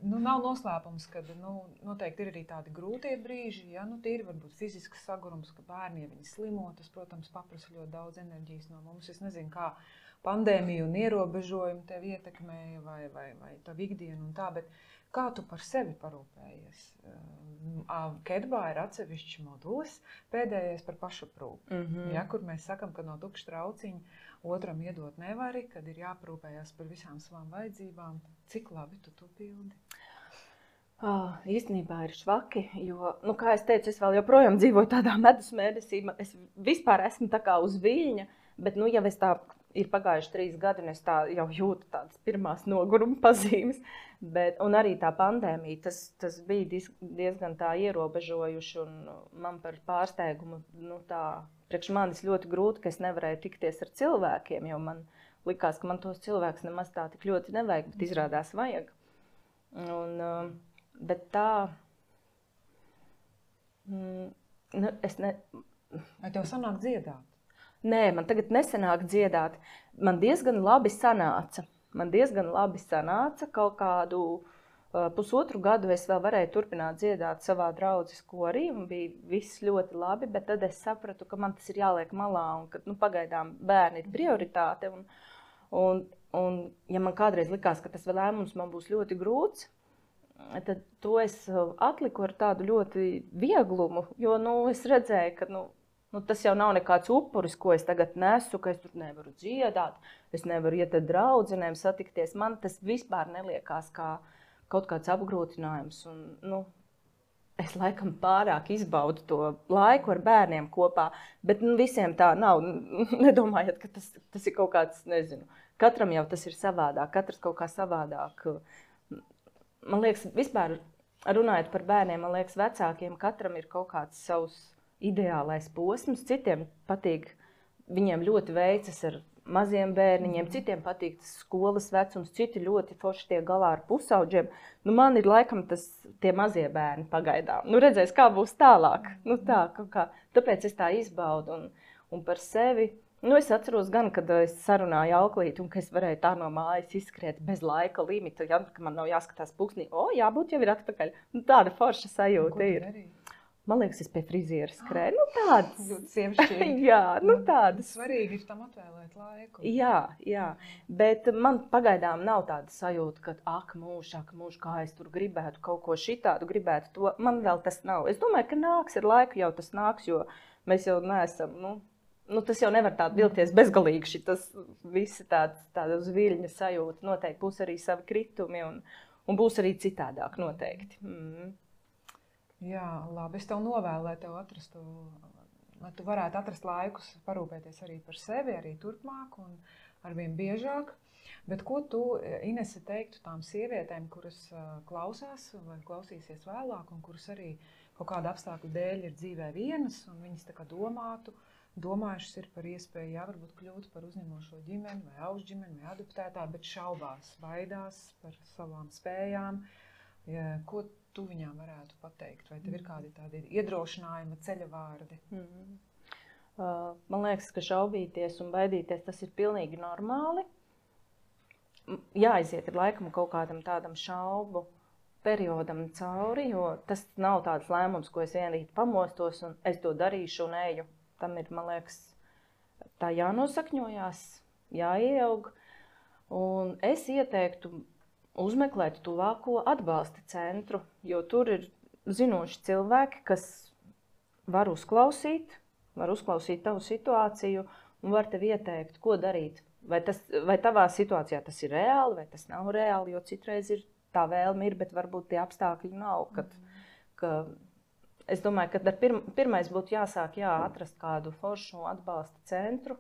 Nu, nav noslēpums, ka nu, noteikti ir arī tādi grūtie brīži, ja nu, tīri varbūt fizisks sagurums, ka bērni, ja viņi slimo, tas, protams, paprasa ļoti daudz enerģijas no mums. Es nezinu, kā pandēmija un ierobežojumi tevi ietekmēja vai, vai, vai tavu ikdienu un tā, bet kā tu par sevi parūpējies? Kedbā ir atsevišķs modulis, pēdējais par pašaprūpi, mm-hmm. ja, kur mēs sakam, ka no tukša trauciņa otram iedot nevari, kad ir jāprūpējās par visām savām vajadzībām. Cik labi tu to pildi? Oh, īstenībā ir švaki, jo, nu, kā es teicu, es vēl joprojām dzīvoju tādā medus mēnesī. Es vispār esmu tā kā uz viļņa, bet, nu, jau es tā ir pagājuši trīs gadi, un es tā jau jūtu tādas pirmās noguruma pazīmes. Bet, un arī tā pandēmija, tas, tas bija diezgan tā ierobežojuši, un man par pārsteigumu, nu, tā, priekš manis ļoti grūti, ka es nevarēju tikties ar cilvēkiem, jo man likās, ka man tos cilvēkus nemaz tā tik ļoti nevajag, bet izrādās vajag. Un, bet tā, mm, nu, es ne... Vai tev sanāk dziedāt? Nē, man tagad nesanāk dziedāt. Man diezgan labi sanāca. Man diezgan labi sanāca. Kaut kādu uh, pusotru gadu es vēl varēju turpināt dziedāt savā draudzes korī, un bija viss ļoti labi, bet tad es sapratu, ka man tas ir jāliek malā, un ka, nu, pagaidām bērni ir prioritāte. Un, un, un, ja man kādreiz likās, ka tas vēl lēmums man būs ļoti grūts, tad to es atliku ar tādu ļoti vieglumu, jo, nu, es redzēju, ka, nu, Nu, tas jau nav nekāds upuris, ko es tagad nesu, ka es tur nevaru dziedāt, es nevaru iet ar draudzenēm satikties. Man tas vispār neliekās kā kaut kāds apgrūtinājums. Un, nu, es laikam pārāk izbaudu to laiku ar bērniem kopā, bet nu, visiem tā nav. Nedomājiet, ka tas, tas ir kaut kāds, nezinu, katram jau tas ir savādāk, katrs kaut kā savādāk. Man liekas, vispār runājot par bērniem, man liekas, vecākiem katram ir kaut kāds savs ideālais posms, citiem patīk, viņiem ļoti veicas ar maziem bērniņiem, citiem patīk tas skolas vecums, citi ļoti forši tiek galā ar pusauģiem. Nu, man ir laikam tas tie mazie bērni pagaidām. Nu, redzēs, kā būs tālāk. Nu, tā, kā. Tāpēc es tā izbaudu un, un par sevi. Nu, es atceros gan, kad es sarunāju auklīti un ka es varēju tā no mājas izskriet bez laika limita, ja, ka man nav jāskatās pulkstī. O, jābūt jau ir atpakaļ. Nu, tāda forša sajūta ir. ir. Man liekas, es pie friziera skrēju. Nu, tādas. Ļoti sievišķīgi. Jā, nu tādas. Svarīgi ir tam atvēlēt laiku. Jā, jā. Bet man pagaidām nav tāda sajūta, ka ak, mūž, ak, mūž, kā es tur gribētu kaut ko šitādu, gribētu to. Man vēl tas nav. Es domāju, ka nāks ar laiku jau tas nāks, jo mēs jau neesam, nu, nu tas jau nevar tādu vilties bezgalīgi. Šitas visi tāds, tāda uz viļņa sajūta. Noteikti būs arī savi kritumi un, un būs arī citādāk noteikti. Mm. Jā, labi. Es tev novēlu, lai tev atrastu, lai tu varētu atrast laikus parūpēties arī par sevi, arī turpmāk un arvien biežāk. Bet ko tu, Inese, teiktu tām sievietēm, kuras klausās vai klausīsies vēlāk un kuras arī kaut kāda apstākļu dēļ ir dzīvē vienas un viņas tā kā domātu, domājušas ir par iespēju, jā, varbūt kļūt par uzņemošo ģimeni vai augšģimeni vai adoptētā, bet šaubās, baidās par savām spējām. Ja, ko tu viņām varētu pateikt? Vai tev ir kādi tādi iedrošinājuma ceļa vārdi? Mm. Uh, man liekas, ka šaubīties un baidīties tas ir pilnīgi normāli. Jāaiziet ir laikam kaut kādam tādam šaubu periodam cauri, jo tas nav tāds lēmums, ko es vienrīt pamostos un es to darīšu un eju. Tam ir, man liekas, tā jānosakņojās, jāieaug. Un es ieteiktu uzmeklēt tuvāko atbalsta centru, jo tur ir zinoši cilvēki, kas var uzklausīt, var uzklausīt tavu situāciju un var tev ieteikt, ko darīt. Vai, tas, vai tavā situācijā tas ir reāli, vai tas nav reāli, jo citreiz ir tā vēlme ir, bet varbūt tie apstākļi nav. Kad, ka, es domāju, ka pirm, pirmais būtu jāsāk jā, atrast kādu foršu atbalsta centru.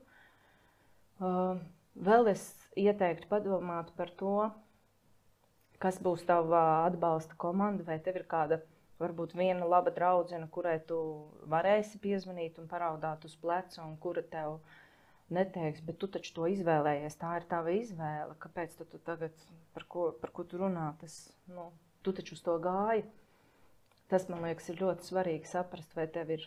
Uh, vēl es ieteiktu padomāt par to, kas būs tava atbalsta komanda, vai tev ir kāda, varbūt viena laba draudzene, kurai tu varēsi piezvanīt un paraudāt uz pleca, un kura tev neteiks, bet tu taču to izvēlējies, tā ir tava izvēle, kāpēc tu, tu tagad, par ko, par ko tu runā, tas, nu, tu taču uz to gāji. Tas, man liekas, ir ļoti svarīgi saprast, vai tev ir,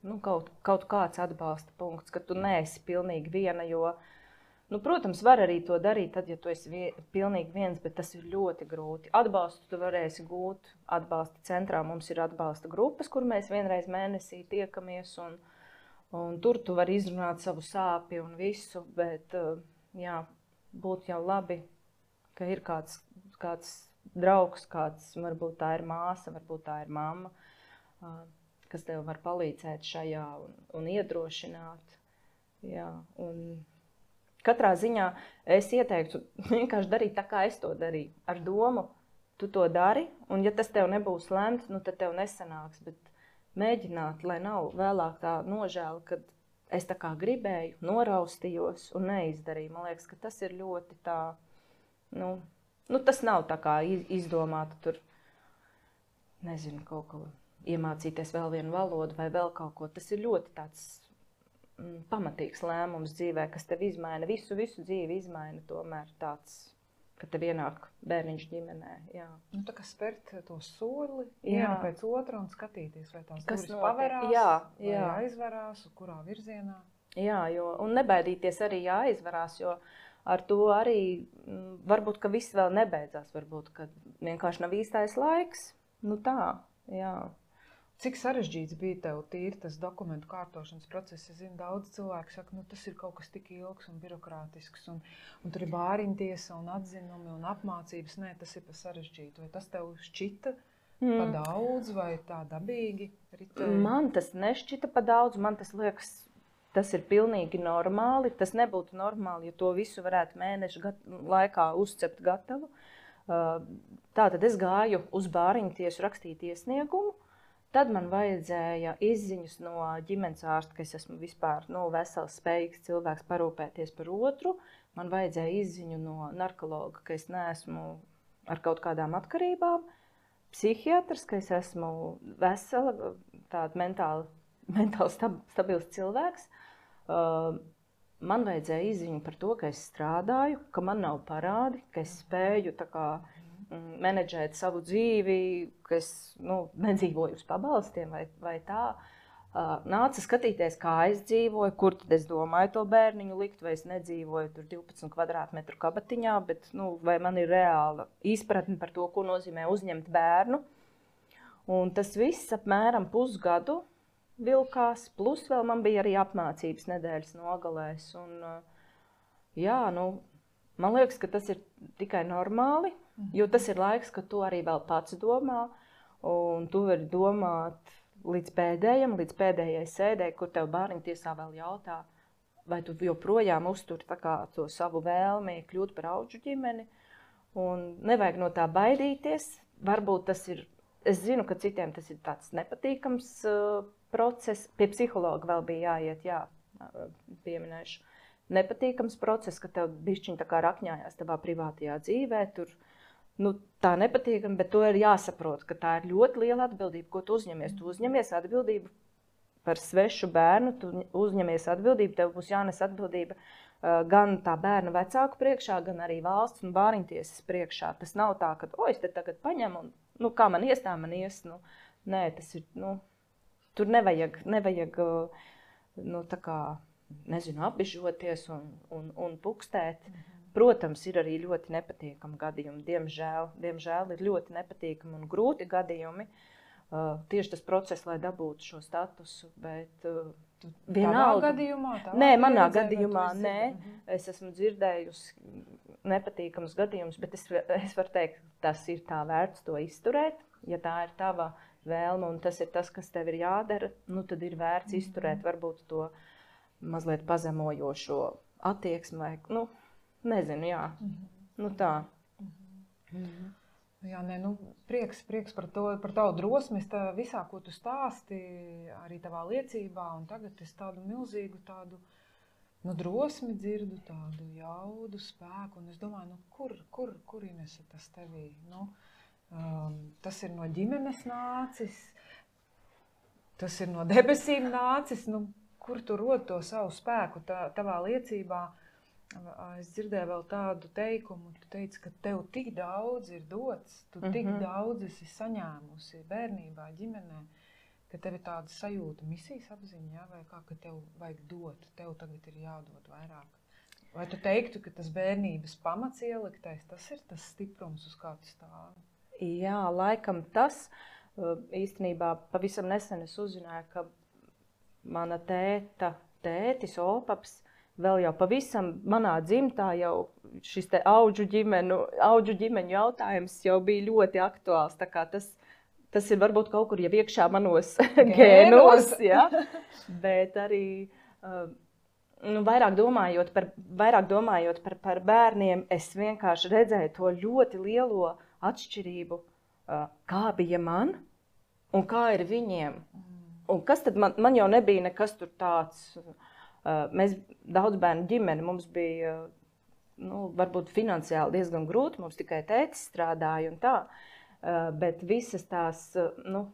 nu, kaut, kaut kāds atbalsta punkts, ka tu neesi pilnīgi viena, jo Nu, protams, var arī to darīt, tad, ja tu esi vie, pilnīgi viens, bet tas ir ļoti grūti. Atbalstu tu varēsi gūt. Atbalsta centrā mums ir atbalsta grupas, kur mēs vienreiz mēnesī tiekamies, un, un tur tu vari izrunāt savu sāpi un visu, bet jā, būtu jau labi, ka ir kāds, kāds draugs, kāds, varbūt tā ir māsa, varbūt tā ir mamma, kas tev var palīdzēt šajā un, un iedrošināt. Jā, un katrā ziņā es ieteiktu vienkārši darīt tā, kā es to darīju. Ar domu, tu to dari, un ja tas tev nebūs lemts, nu tad tev nesanāks, bet mēģināt, lai nav vēlāk tā nožēla, kad es tā kā gribēju, noraustījos un neizdarīju. Man liekas, ka tas ir ļoti tā, nu, nu tas nav tā kā izdomāta tur, nezinu, kaut ko iemācīties vēl vienu valodu vai vēl kaut ko. Tas ir ļoti tāds pamatīgs lēmums dzīvē, kas tev izmaina, visu, visu dzīvi izmaina tomēr tāds, ka tev ienāk bērniņš ģimenē. Jā. Nu, tā kā spērt to soli, vienu pēc otra un skatīties, vai tās kas durvis paverās, jā, vai jā. aizverās, kurā virzienā. Jā, jo, un nebaidīties arī jāaizvarās, jo ar to arī varbūt, ka viss vēl nebeidzās, varbūt, ka vienkārši nav īstais laiks. Nu tā, jā. Cik sarežģīts bija tev tīri tas dokumentu kārtošanas process? Es zinu, daudz cilvēku saka, nu tas ir kaut kas tik ilgs un birokrātisks, un, un tur ir bāriņtiesa un atzinumi un apmācības. Nē, tas ir pa sarežģītu. Vai tas tev šķita mm. pa daudz vai tā dabīgi ritēja? Man tas nešķita pa daudz, man tas liekas, tas ir pilnīgi normāli. Tas nebūtu normāli, ja to visu varētu mēnešu gat- laikā uzcept gatavu. Tātad es gāju uz bāriņtiesu rakstīt iesniegumu. Tad man vajadzēja izziņas no ģimenes ārsta, ka es esmu vispār nu, vesels, spējīgs cilvēks parūpēties par otru. Man vajadzēja izziņu no narkologa, ka es neesmu ar kaut kādām atkarībām. Psihiatrs, ka es esmu vesela, tāda mentāli, mentāli stab, stabils cilvēks. Uh, man vajadzēja izziņu par to, ka es strādāju, ka man nav parādi, ka es spēju tā kā menedžēt savu dzīvi, ka es nu, nedzīvoju uz pabalstiem vai, vai tā. Uh, nāca skatīties, kā es dzīvoju, kur tad es domāju to bērniņu likt, vai es nedzīvoju tur divpadsmit kvadrātmetru kabatiņā, bet nu, vai man ir reāla izpratne par to, ko nozīmē uzņemt bērnu. Un tas viss apmēram pusgadu vilkās, plus vēl man bija arī apmācības nedēļas nogalēs. Un, uh, jā, nu, man liekas, ka tas ir tikai normāli, jo tas ir laiks, kad tu arī vēl pats domā, un tu vari domāt līdz pēdējam, līdz pēdējai sēdē, kur tev bāriņtiesā vēl jautā, vai tu joprojām uzturi tā kā to savu vēlmi kļūt par audžu ģimeni, un nevajag no tā baidīties. Varbūt tas ir, es zinu, ka citiem tas ir tāds nepatīkams uh, process, pie psihologa vēl bija jāiet, jā, pieminēšu. Nepatīkams process, ka tev bišķiņ tā kā rakņājās tavā privātajā dzīvē, tur nu, tā nepatīkami, bet to ir jāsaprot, ka tā ir ļoti liela atbildība, ko tu uzņemies. Tu uzņemies atbildību par svešu bērnu, tu uzņemies atbildību, tev būs jānes atbildība uh, gan tā bērna vecāku priekšā, gan arī valsts un bāriņtiesas priekšā. Tas nav tā, ka, o, es te tagad paņemu un, nu, kā man ies, tā man ies. Nu, nē, tas ir, nu, tur nevajag, nevajag, uh, nu, tā kā, nezinu, apbižoties un, un, un pukstēt. Mm-hmm. Protams, ir arī ļoti nepatīkami gadījumi. Diemžēl, diemžēl ir ļoti nepatīkami un grūti gadījumi. Uh, tieši tas process, lai dabūtu šo statusu, bet uh, vienalga. Gadījumā, nē, manā gadījumā nē. Mm-hmm. Es esmu dzirdējusi nepatīkamus gadījumus, bet es, es varu teikt, tas ir tā vērts to izturēt. Ja tā ir tava vēlme un tas ir tas, kas tev ir jādara, nu tad ir vērts mm-hmm. izturēt varbūt to mazliet pazemojošo attieksmi vai, nu, nezinu, jā, mm-hmm. nu tā. Mm-hmm. Mm-hmm. Jā, nē, nu, prieks, prieks par, to, par tavu drosmi, tā visā, ko tu stāsti, arī tavā liecībā, un tagad es tādu milzīgu tādu, nu, drosmi dzirdu, tādu jaudu, spēku, un es domāju, nu, kur, kur, kur Inese tas tevī, nu, um, tas ir no ģimenes nācis, tas ir no debesīm nācis, nu, kur tu rod to savu spēku tā, tavā liecībā. Es dzirdēju vēl tādu teikumu, tu teici, ka tev tik daudz ir dots, tu tik mm-hmm. daudz esi saņēmusi bērnībā, ģimenē, ka tev ir tāda sajūta, misijas apziņa, jā, vai kā, ka tev vajag dot, tev tagad ir jādod vairāk. Vai tu teiktu, ka tas bērnības pamats ieliktais, tas ir tas stiprums, uz kā tu stāvi? Jā, laikam tas. Īstenībā pavisam nesen es uzzināju, ka mana tēta, tētis, opaps, vēl jau pavisam manā dzimtā jau šis te audžu ģimenu, audžu ģimeņu jautājums jau bija ļoti aktuāls. Tā kā tas, tas ir varbūt kaut kur jau iekšā manos gēnos, ja? Bet arī nu, vairāk domājot, par, vairāk domājot par, par bērniem, es vienkārši redzēju to ļoti lielo atšķirību, kā bija man un kā ir viņiem. Un kas tad man, man jau nebija nekas tur tāds, mēs daudz bērnu ģimeni, mums bija, nu, varbūt finansiāli diezgan grūti, mums tikai tētis strādāja un tā, bet visas tās, nu,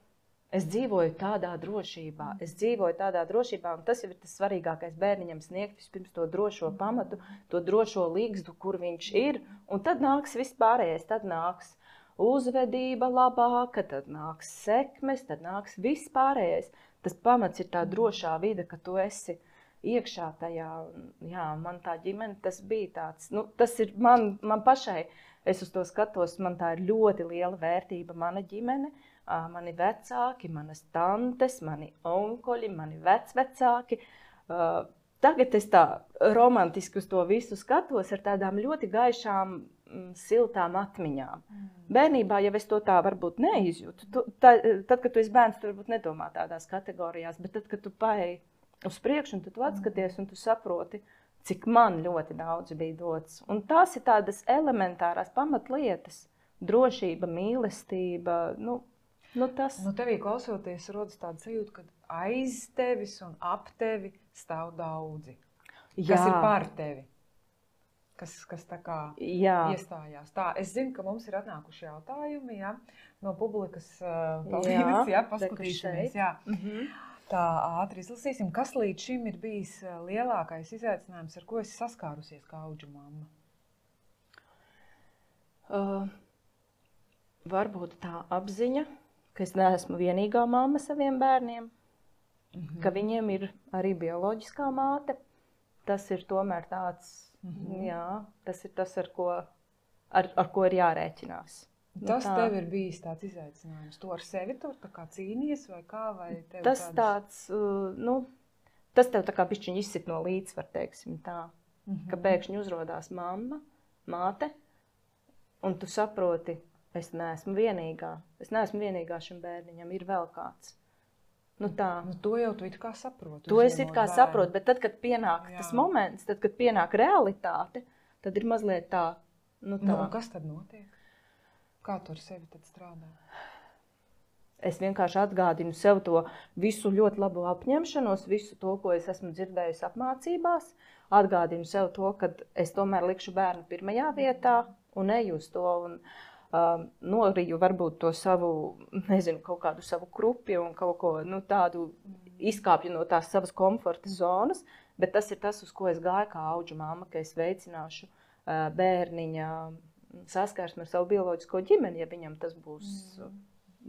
es dzīvoju tādā drošībā, es dzīvoju tādā drošībā, un tas jau ir tas svarīgākais bērniņam sniegt vispirms to drošo pamatu, to drošo līgstu, kur viņš ir, un tad nāks viss pārējais, tad nāks uzvedība labāka, tad nāks sekmes, tad nāks viss pārējais. Tas pamats ir tā drošā vide, ka tu esi iekšā tajā. Jā, man tā ģimene, tas bija tāds, nu, tas ir man, man pašai, es uz to skatos, man tā ir ļoti liela vērtība, mana ģimene, mani vecāki, manas tantes, mani onkoļi, mani vecvecāki. Tagad es tā romantiski uz to visu skatos ar tādām ļoti gaišām, siltām atmiņām. Mm. Bērnībā, ja es to tā varbūt neizjūtu, tu, tā, tad, kad tu esi bērns, tu varbūt nedomā tādās kategorijās, bet tad, kad tu paeji uz priekšu, un tu atskaties, un tu saproti, cik man ļoti daudz bija dots. Un tās ir tādas elementārās pamatlietas, drošība, mīlestība, nu, nu tas. Nu, tevī klausoties, rodas tāda sajūta, ka aiz tevis un ap tevi stāv daudzi, kas Jā. ir par tevi. Kas, kas tā kā jā. iestājās. Tā, es zinu, ka mums ir atnākuši jautājumi, ja, no publikas. Paldies, jā, paskatīsimies. Jā. Mm-hmm. Tā ātri izlasīsim. Kas līdz šim ir bijis lielākais izaicinājums, ar ko esi saskārusies kā audžu mamma? Uh, varbūt tā apziņa, ka es neesmu vienīgā mamma saviem bērniem, mm-hmm. ka viņiem ir arī bioloģiskā māte. Tas ir tomēr tāds... Mm-hmm. Jā, tas ir tas, ar ko, ar, ar ko ir jārēķinās. Tas tā. Tev ir bijis tāds izaicinājums. Tu ar sevi tur tā kā cīnies vai kā? Vai tev tas tādas... tāds, uh, nu, tas tev tā kā bišķiņ izsit no līdzsvar, teiksim tā. Mm-hmm. Ka pēkšņi uzrodās mamma, māte, un tu saproti, es neesmu vienīgā. Es neesmu vienīgā šim bērniņam, ir vēl kāds. Nu tā. Nu, to jau tu it kā saproti. To es it kā saprotu, bet tad, kad pienāk Jā. tas moments, tad, kad pienāk realitāte, tad ir mazliet tā, nu tā. Nu, un kas tad notiek? Kā tu ar sevi tad strādā? Es vienkārši atgādinu sev to visu ļoti labo apņemšanos, visu to, ko es esmu dzirdējusi apmācībās. Atgādinu sev to, ka es tomēr likšu bērnu pirmajā vietā un eju uz to. Un, Uh, noriju varbūt to savu, nezinu, kaut kādu savu krupi un kaut ko nu, tādu izkāpju no tās savas komforta zonas, bet tas ir tas, uz ko es gāju kā audžu mamma, ka es veicināšu uh, bērniņa saskarsmi ar savu bioloģisko ģimeni, ja viņam tas būs mm.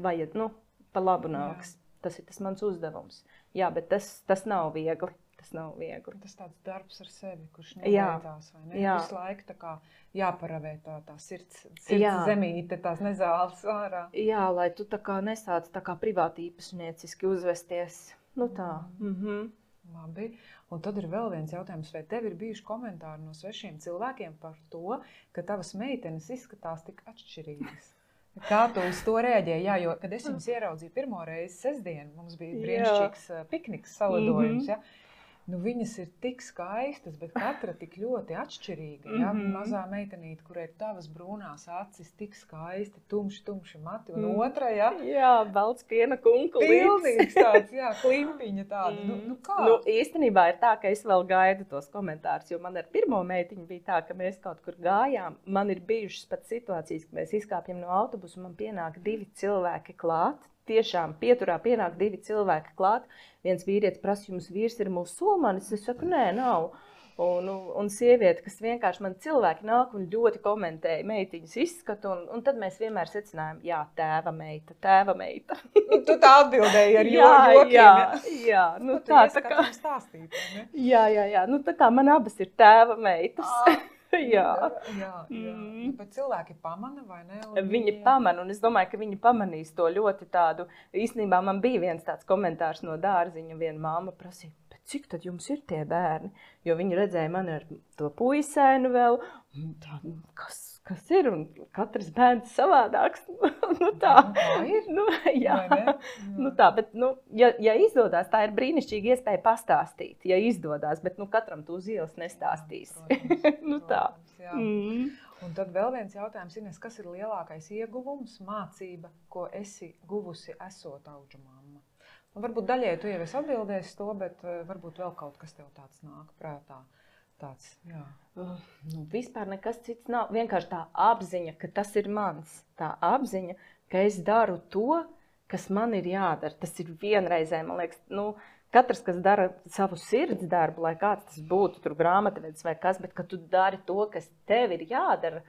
vajad, nu, pa labu nāks. Jā. Tas ir tas mans uzdevums. Jā, bet tas, tas nav viegli. Tas nav viegli. Tas tāds darbs ar sevi, kurš neveicās, vai ne? Jā. Visu laiku tā kā jāparavē tā, tā sirds, sirds zemīte, tās nezāles ārā. Jā, lai tu tā kā nesāc tā kā privāti īpašnieciski uzvesties. Nu tā. Mm-hmm. Labi. Un tad ir vēl viens jautājums, vai tev ir bijuši komentāri no svešiem cilvēkiem par to, ka tavas meitenes izskatās tik atšķirīgas? Kā tu uz to reaģēji? Jā, jo, kad es jums ieraudzīju pirmo reizi sestdienu, mums bija brīnišķīgs pikniks salidojums, ja? Nu, viņas ir tik skaistas, bet katra tik ļoti atšķirīga. Ja? Mm-hmm. Mazā meitenīte, kurai ir tavas brūnās acis, tik skaisti, tumši, tumši mati, un mm. otra, ja? Jā, balts piena kunkulīts. Pilnīgs tāds, jā, klimpiņa tāda. Mm. Nu, nu kā? Nu, īstenībā ir tā, ka es vēl gaidu tos komentārus, jo man ar pirmo meitiņu bija tā, ka mēs kaut kur gājām. Man ir bijušas pat situācijas, ka mēs izkāpjam no autobusu, un man pienāk divi cilvēki klāt. Tiešām pieturā pienāk divi cilvēki klāt. Viens vīrietis prasa, jums vīrs ir musulmanis? Es saku, nē, nav. Un, un sieviete, kas vienkārši man cilvēki nāk un ļoti komentēja meitiņas izskatu, un, un tad mēs vienmēr secinājām, jā, tēva meita, tēva meita. Tu tā atbildēji ar jā, jokiem. Jā, jā, nu nu, tā, tā kā. Stāstīt, ne? Jā, jā, jā, nu tā kā man abas ir tēva meitas. Ah. jā. Jā, jā. Mm. Bet cilvēki pamana vai ne? Un viņi viņi pamana, un es domāju, ka viņi pamanīs to ļoti tādu. Īstenībā man bija viens tāds komentārs no dārziņa, viena māma prasīja, cik tad jums ir tie bērni? Jo viņi redzēja mani ar to puisēnu vēl, tā, kas, kas ir, un katrs bērns savādāks. nu tā, nu, tā ir. Nu, jā. jā. Nu tā, bet, nu, ja, ja izdodās, tā ir brīnišķīga iespēja pastāstīt, ja izdodās, bet nu, katram tu uz ielas nestāstīs. Jā, protams, nu tā. Protams, jā. Mm. Un tad vēl viens jautājums, Ines, kas ir lielākais ieguvums, mācība, ko esi guvusi esot auģu mamma? Un varbūt daļai tu jau esi atbildējis to, bet varbūt vēl kaut kas tev tāds nāk prātā. Tāds, jā. Uh, nu, vispār nekas cits nav. Vienkārši tā apziņa, ka tas ir mans. Tā apziņa, ka es daru to, kas man ir jādara. Tas ir vienreizē, man liekas, nu, katrs, kas dara savu sirds darbu, lai kāds tas būtu, tur grāmatvedis vai kas, bet ka tu dari to, kas tev ir jādara,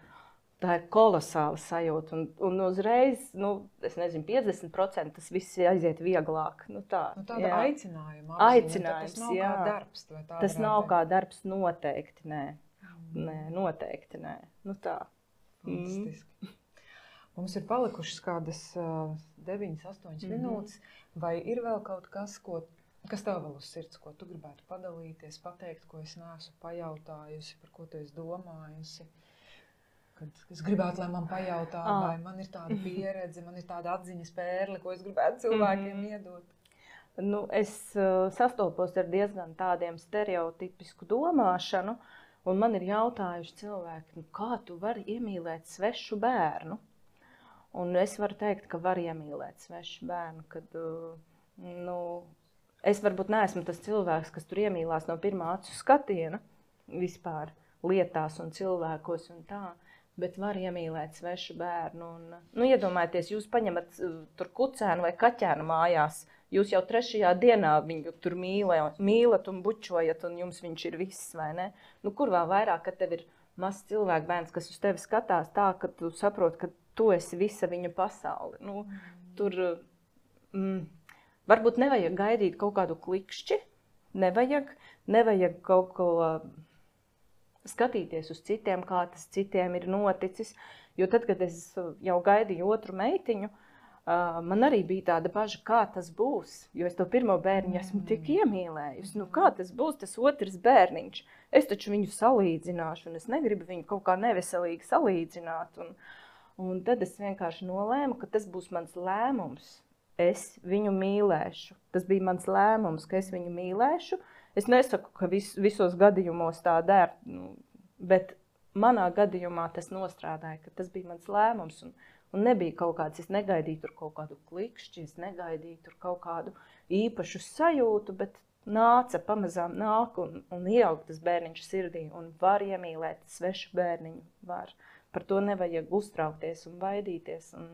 tā ir kolosāla sajūta. Un, un uzreiz, nu, es nezinu, piecdesmit procenti tas viss aiziet vieglāk. Nu, tā, nu, tāda jā. aicinājuma. Aicinājums, tas nav jā. kā darbs. Tas nav kā darbs noteikti, nē. Mm. Nē, noteikti, nē. Nu tā. Fantastiski. Mm. Mums ir palikušas kādas uh, deviņas, astoņas mm-hmm. minūtes. Vai ir vēl kaut kas, ko, kas tev vēl uz sirds, ko tu gribētu padalīties, pateikt, ko es neesmu pajautājusi, par ko tu esi domājusi? Kad es gribētu, lai man pajautā, ah. vai man ir tāda pieredze, man ir tāda atziņas pērle, ko es gribētu cilvēkiem mm-hmm. iedot. Nu, es uh, sastopos ar diezgan tādiem stereotipisku domāšanu, un man ir jautājuši cilvēki, nu, kā tu vari iemīlēt svešu bērnu? Un es varu teikt, ka var iemīlēt svešu bērnu, kad, uh, nu, es varbūt neesmu tas cilvēks, kas tur iemīlās no pirmā acu skatiena vispār lietās un cilvēkos un tā. Bet var iemīlēt svešu bērnu. Un, nu, iedomājieties, jūs paņemat uh, tur kucēnu vai kaķēnu mājās, jūs jau trešajā dienā viņu tur mīlē, mīlat un bučojat, un jums viņš ir viss, vai ne? Nu, kur vēl vairāk, kad tev ir mazs cilvēku bērns, kas uz tevi skatās tā, ka tu saproti, ka tu esi visa viņa pasaule. Nu, mm. Tur mm, varbūt nevajag gaidīt kaut kādu klikšķi, nevajag, nevajag kaut ko... skatīties uz citiem, kā tas citiem ir noticis. Jo tad, kad es jau gaidīju otru meitiņu, man arī bija tāda baža, kā tas būs. Jo es to pirmo bērniņu esmu tik iemīlējusi. Nu, kā tas būs, tas otrs bērniņš? Es taču viņu salīdzināšu, un es negribu viņu kaut kā neveselīgi salīdzināt. Un, un tad es vienkārši nolēmu, ka tas būs mans lēmums. Es viņu mīlēšu. Tas bija mans lēmums, ka es viņu mīlēšu. Es nesaku, ka vis, visos gadījumos tā der, nu, bet manā gadījumā tas nostrādāja, ka tas bija mans lēmums. Un, un nebija kaut kāds, es negaidīju tur kaut kādu klikšķi, es negaidīju tur kaut kādu īpašu sajūtu, bet nāca, pamazām nāk un, un ieaug tas bērniņš sirdī un var iemīlēt svešu bērniņu. Var. Par to nevajag uztraukties un baidīties. Un...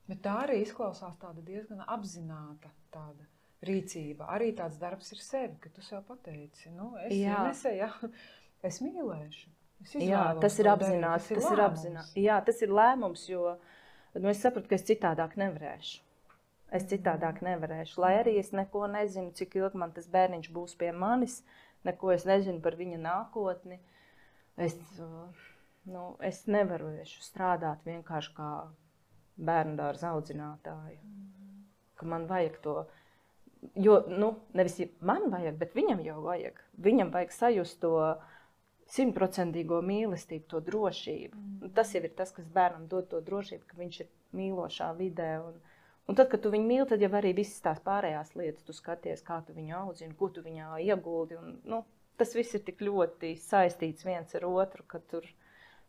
Bet tā arī izklausās tāda diezgan apzināta tāda rīcība. Arī tāds darbs ir sevi, ka tu sev pateici, nu, es Inese, jā, es mīlēšu. Es jā, tas ir apzināts, tas, tas ir apzināts. Jā, tas ir lēmums, jo nu, es sapratu, ka es citādāk nevarēšu. Es citādāk nevarēšu, lai arī es neko nezinu, cik ilgi man tas bērniņš būs pie manis, neko es nezinu par viņa nākotni. Es, nu, es nevaru strādāt vienkārši kā bērndārza audzinātāja, ka man vajag to. Jo, nu, nevis man vajag, bet viņam jau vajag. Viņam vajag sajust to simtprocentīgo mīlestību, to drošību. Mm. Tas jau ir tas, kas bērnam dod to drošību, ka viņš ir mīlošā vidē. Un, un tad, kad tu viņu mīli, tad jau arī visas tās pārējās lietas tu skaties, kā tu viņu audzini, ko tu viņā ieguldi. Un, nu, tas viss ir tik ļoti saistīts viens ar otru, ka tur,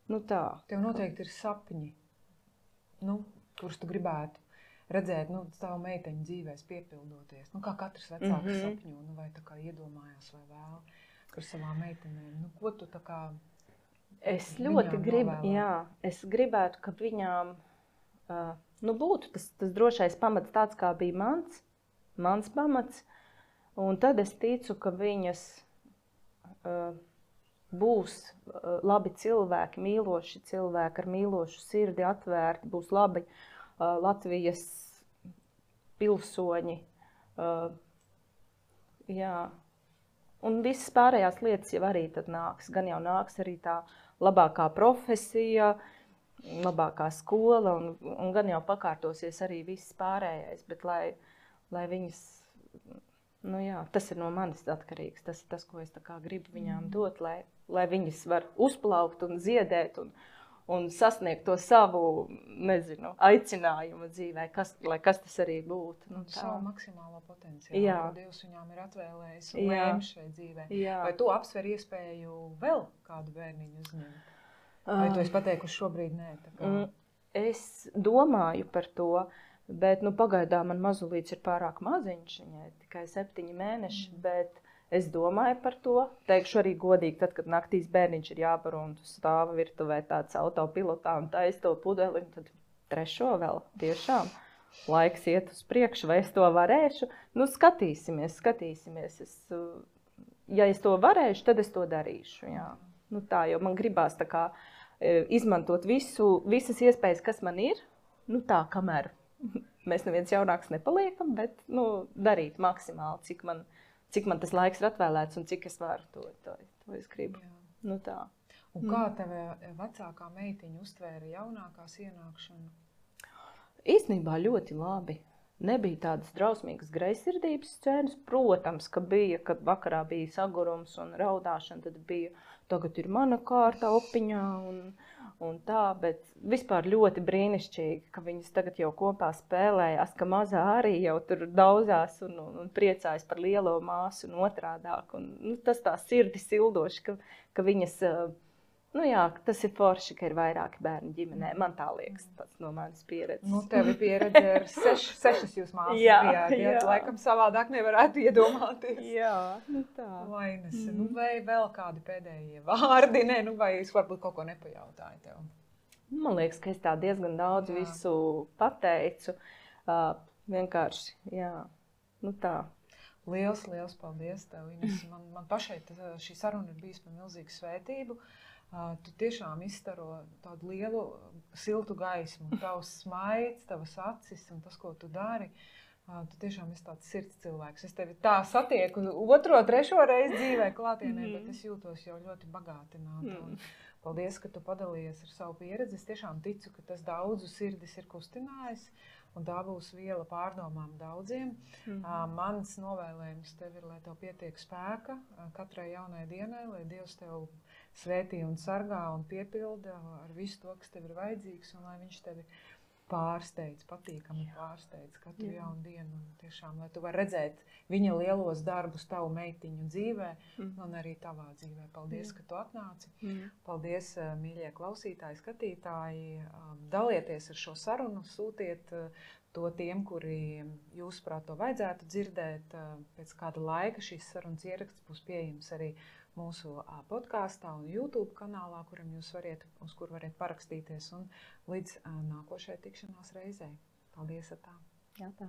nu tā. Tev noteikti ir sapņi, nu, kurus tu gribētu redzēt, nu, savu meiteņu dzīvēs piepildoties. Nu, kā katrs vecāks mm-hmm. sapņo, nu, vai tā kā iedomājās vai vēl par savām meitenēm. Nu, ko tu tā kā Es ļoti gribu, jā, es gribētu, ka viņām, uh, nu, būtu tas, tas drošais pamats tāds, kā bija mans, mans pamats, un tad es ticu, ka viņas uh, būs uh, labi cilvēki, mīloši cilvēki ar mīlošu sirdi atvērti, būs labi uh, Latvijas pilsoņi. Uh, jā. Un visas pārējās lietas jau arī tad nāks. Gan jau nāks arī tā labākā profesija, labākā skola, un, un gan jau pakārtosies arī viss pārējais. Bet lai, lai viņas... Nu jā, tas ir no manis atkarīgs. Tas ir tas, ko es tā kā gribu viņām dot, lai, lai viņas var uzplaukt un ziedēt un, un sasniegt to savu, nezinu, aicinājumu dzīvē, kas, lai kas tas arī būtu. Nu, savu maksimālo potenciālu, jā. ko Dievs viņām ir atvēlējis un lēmis šai dzīvē. Jā. Vai tu apsver iespēju vēl kādu bērniņu uzņemt? Vai tu esi pateikusi šobrīd nē? Tā kā... Es domāju par to. Bet nu, pagaidām man mazulīts ir pārāk maziņš, viņai tikai septiņi mēneši, mm. bet es domāju par to. Teikšu arī godīgi, tad, kad naktīs bērniņš ir jābaro un tu stāva virtuvē tāds autopilotā un taisi to pudeli, tad trešo vēl tiešām laiks iet uz priekšu, vai es to varēšu. Nu, skatīsimies, skatīsimies. Es, ja es to varēšu, tad es to darīšu. Jā. Nu, tā, jo man gribās tā kā izmantot visu, visas iespējas, kas man ir, nu tā, kamēr mēs neviens jaunāks nepaliekam, bet nu, darīt maksimāli, cik man, cik man tas laiks ir atvēlēts un cik es varu to, to, to es gribu. Jā. Nu, tā. Un kā tev vecākā meitiņa uztvēra jaunākās ienākšanu? Īstenībā ļoti labi. Nebija tādas drausmīgas greizsirdības scēnas. Protams, ka bija, kad vakarā bija sagurums un raudāšana, tad bija, tagad ir mana kārta opiņā un, un tā, bet vispār ļoti brīnišķīgi, ka viņas tagad jau kopā spēlējās, ka mazā arī jau tur daudzās un, un, un priecājas par lielo māsu un otrādāk. Un, nu, tas tā sirdi sildoši, ka, ka viņas... Nu jā, tas ir forši, ka ir vairāki bērni ģimenē. Man tā liekas, tas no manas pieredzes. Nu, tev ir pieredze ar seš, sešas jūs māsas jā, bijāt. Jā, jā. Laikam savādāk nevarētu iedomāties. Jā, nu tā. Vainas. Mm. Nu, vai vēl kādi pēdējie vārdi? Nē, nu, vai es varbūt kaut ko nepajautāju tev? Man liekas, ka es tā diezgan daudz jā. Visu pateicu. Uh, vienkārši, jā, nu tā. Liels, liels paldies tev, Ines. Man, man pašai šī saruna ir bijis par milzīgu svētību. Uh, tu tiešām izstaro tādu lielu, siltu gaismu. Tavs smaids, tavas acis un tas, ko tu dari. Uh, tu tiešām esi tāds sirds cilvēks. Es tevi tā satieku otro, trešo reizi dzīvē klātienē, mm. bet es jūtos jau ļoti bagātināta. Mm. Paldies, ka tu padalījies ar savu pieredzi. Es tiešām ticu, ka tas daudzu sirdis ir kustinājis. Un tā būs viela pārdomām daudziem. Mm. Uh, mans novēlējums tev ir, lai tev pietiek spēka uh, katrai jaunai dienai, lai Dievs tev svētī un sargā un piepilda ar visu to, kas tev ir vajadzīgs, un lai viņš tevi pārsteidz, patīkami pārsteidz katru Jā. Jaunu dienu. Un tiešām, lai tu vari redzēt viņa lielos darbus tavu meitiņu dzīvē mm. un arī tavā dzīvē. Paldies, Jā. Ka tu atnāci. Mm. Paldies, mīļie klausītāji, skatītāji. Dalieties ar šo sarunu, sūtiet to tiem, kuri jūsuprāt to vajadzētu dzirdēt. Pēc kāda laika šīs sarunas ieraksts būs pieejams arī mūsu podkāstā un YouTube kanālā, kuram jūs variet, uz kur variet parakstīties un līdz nākošai tikšanās reizei. Paldies, atā! Jā, tā.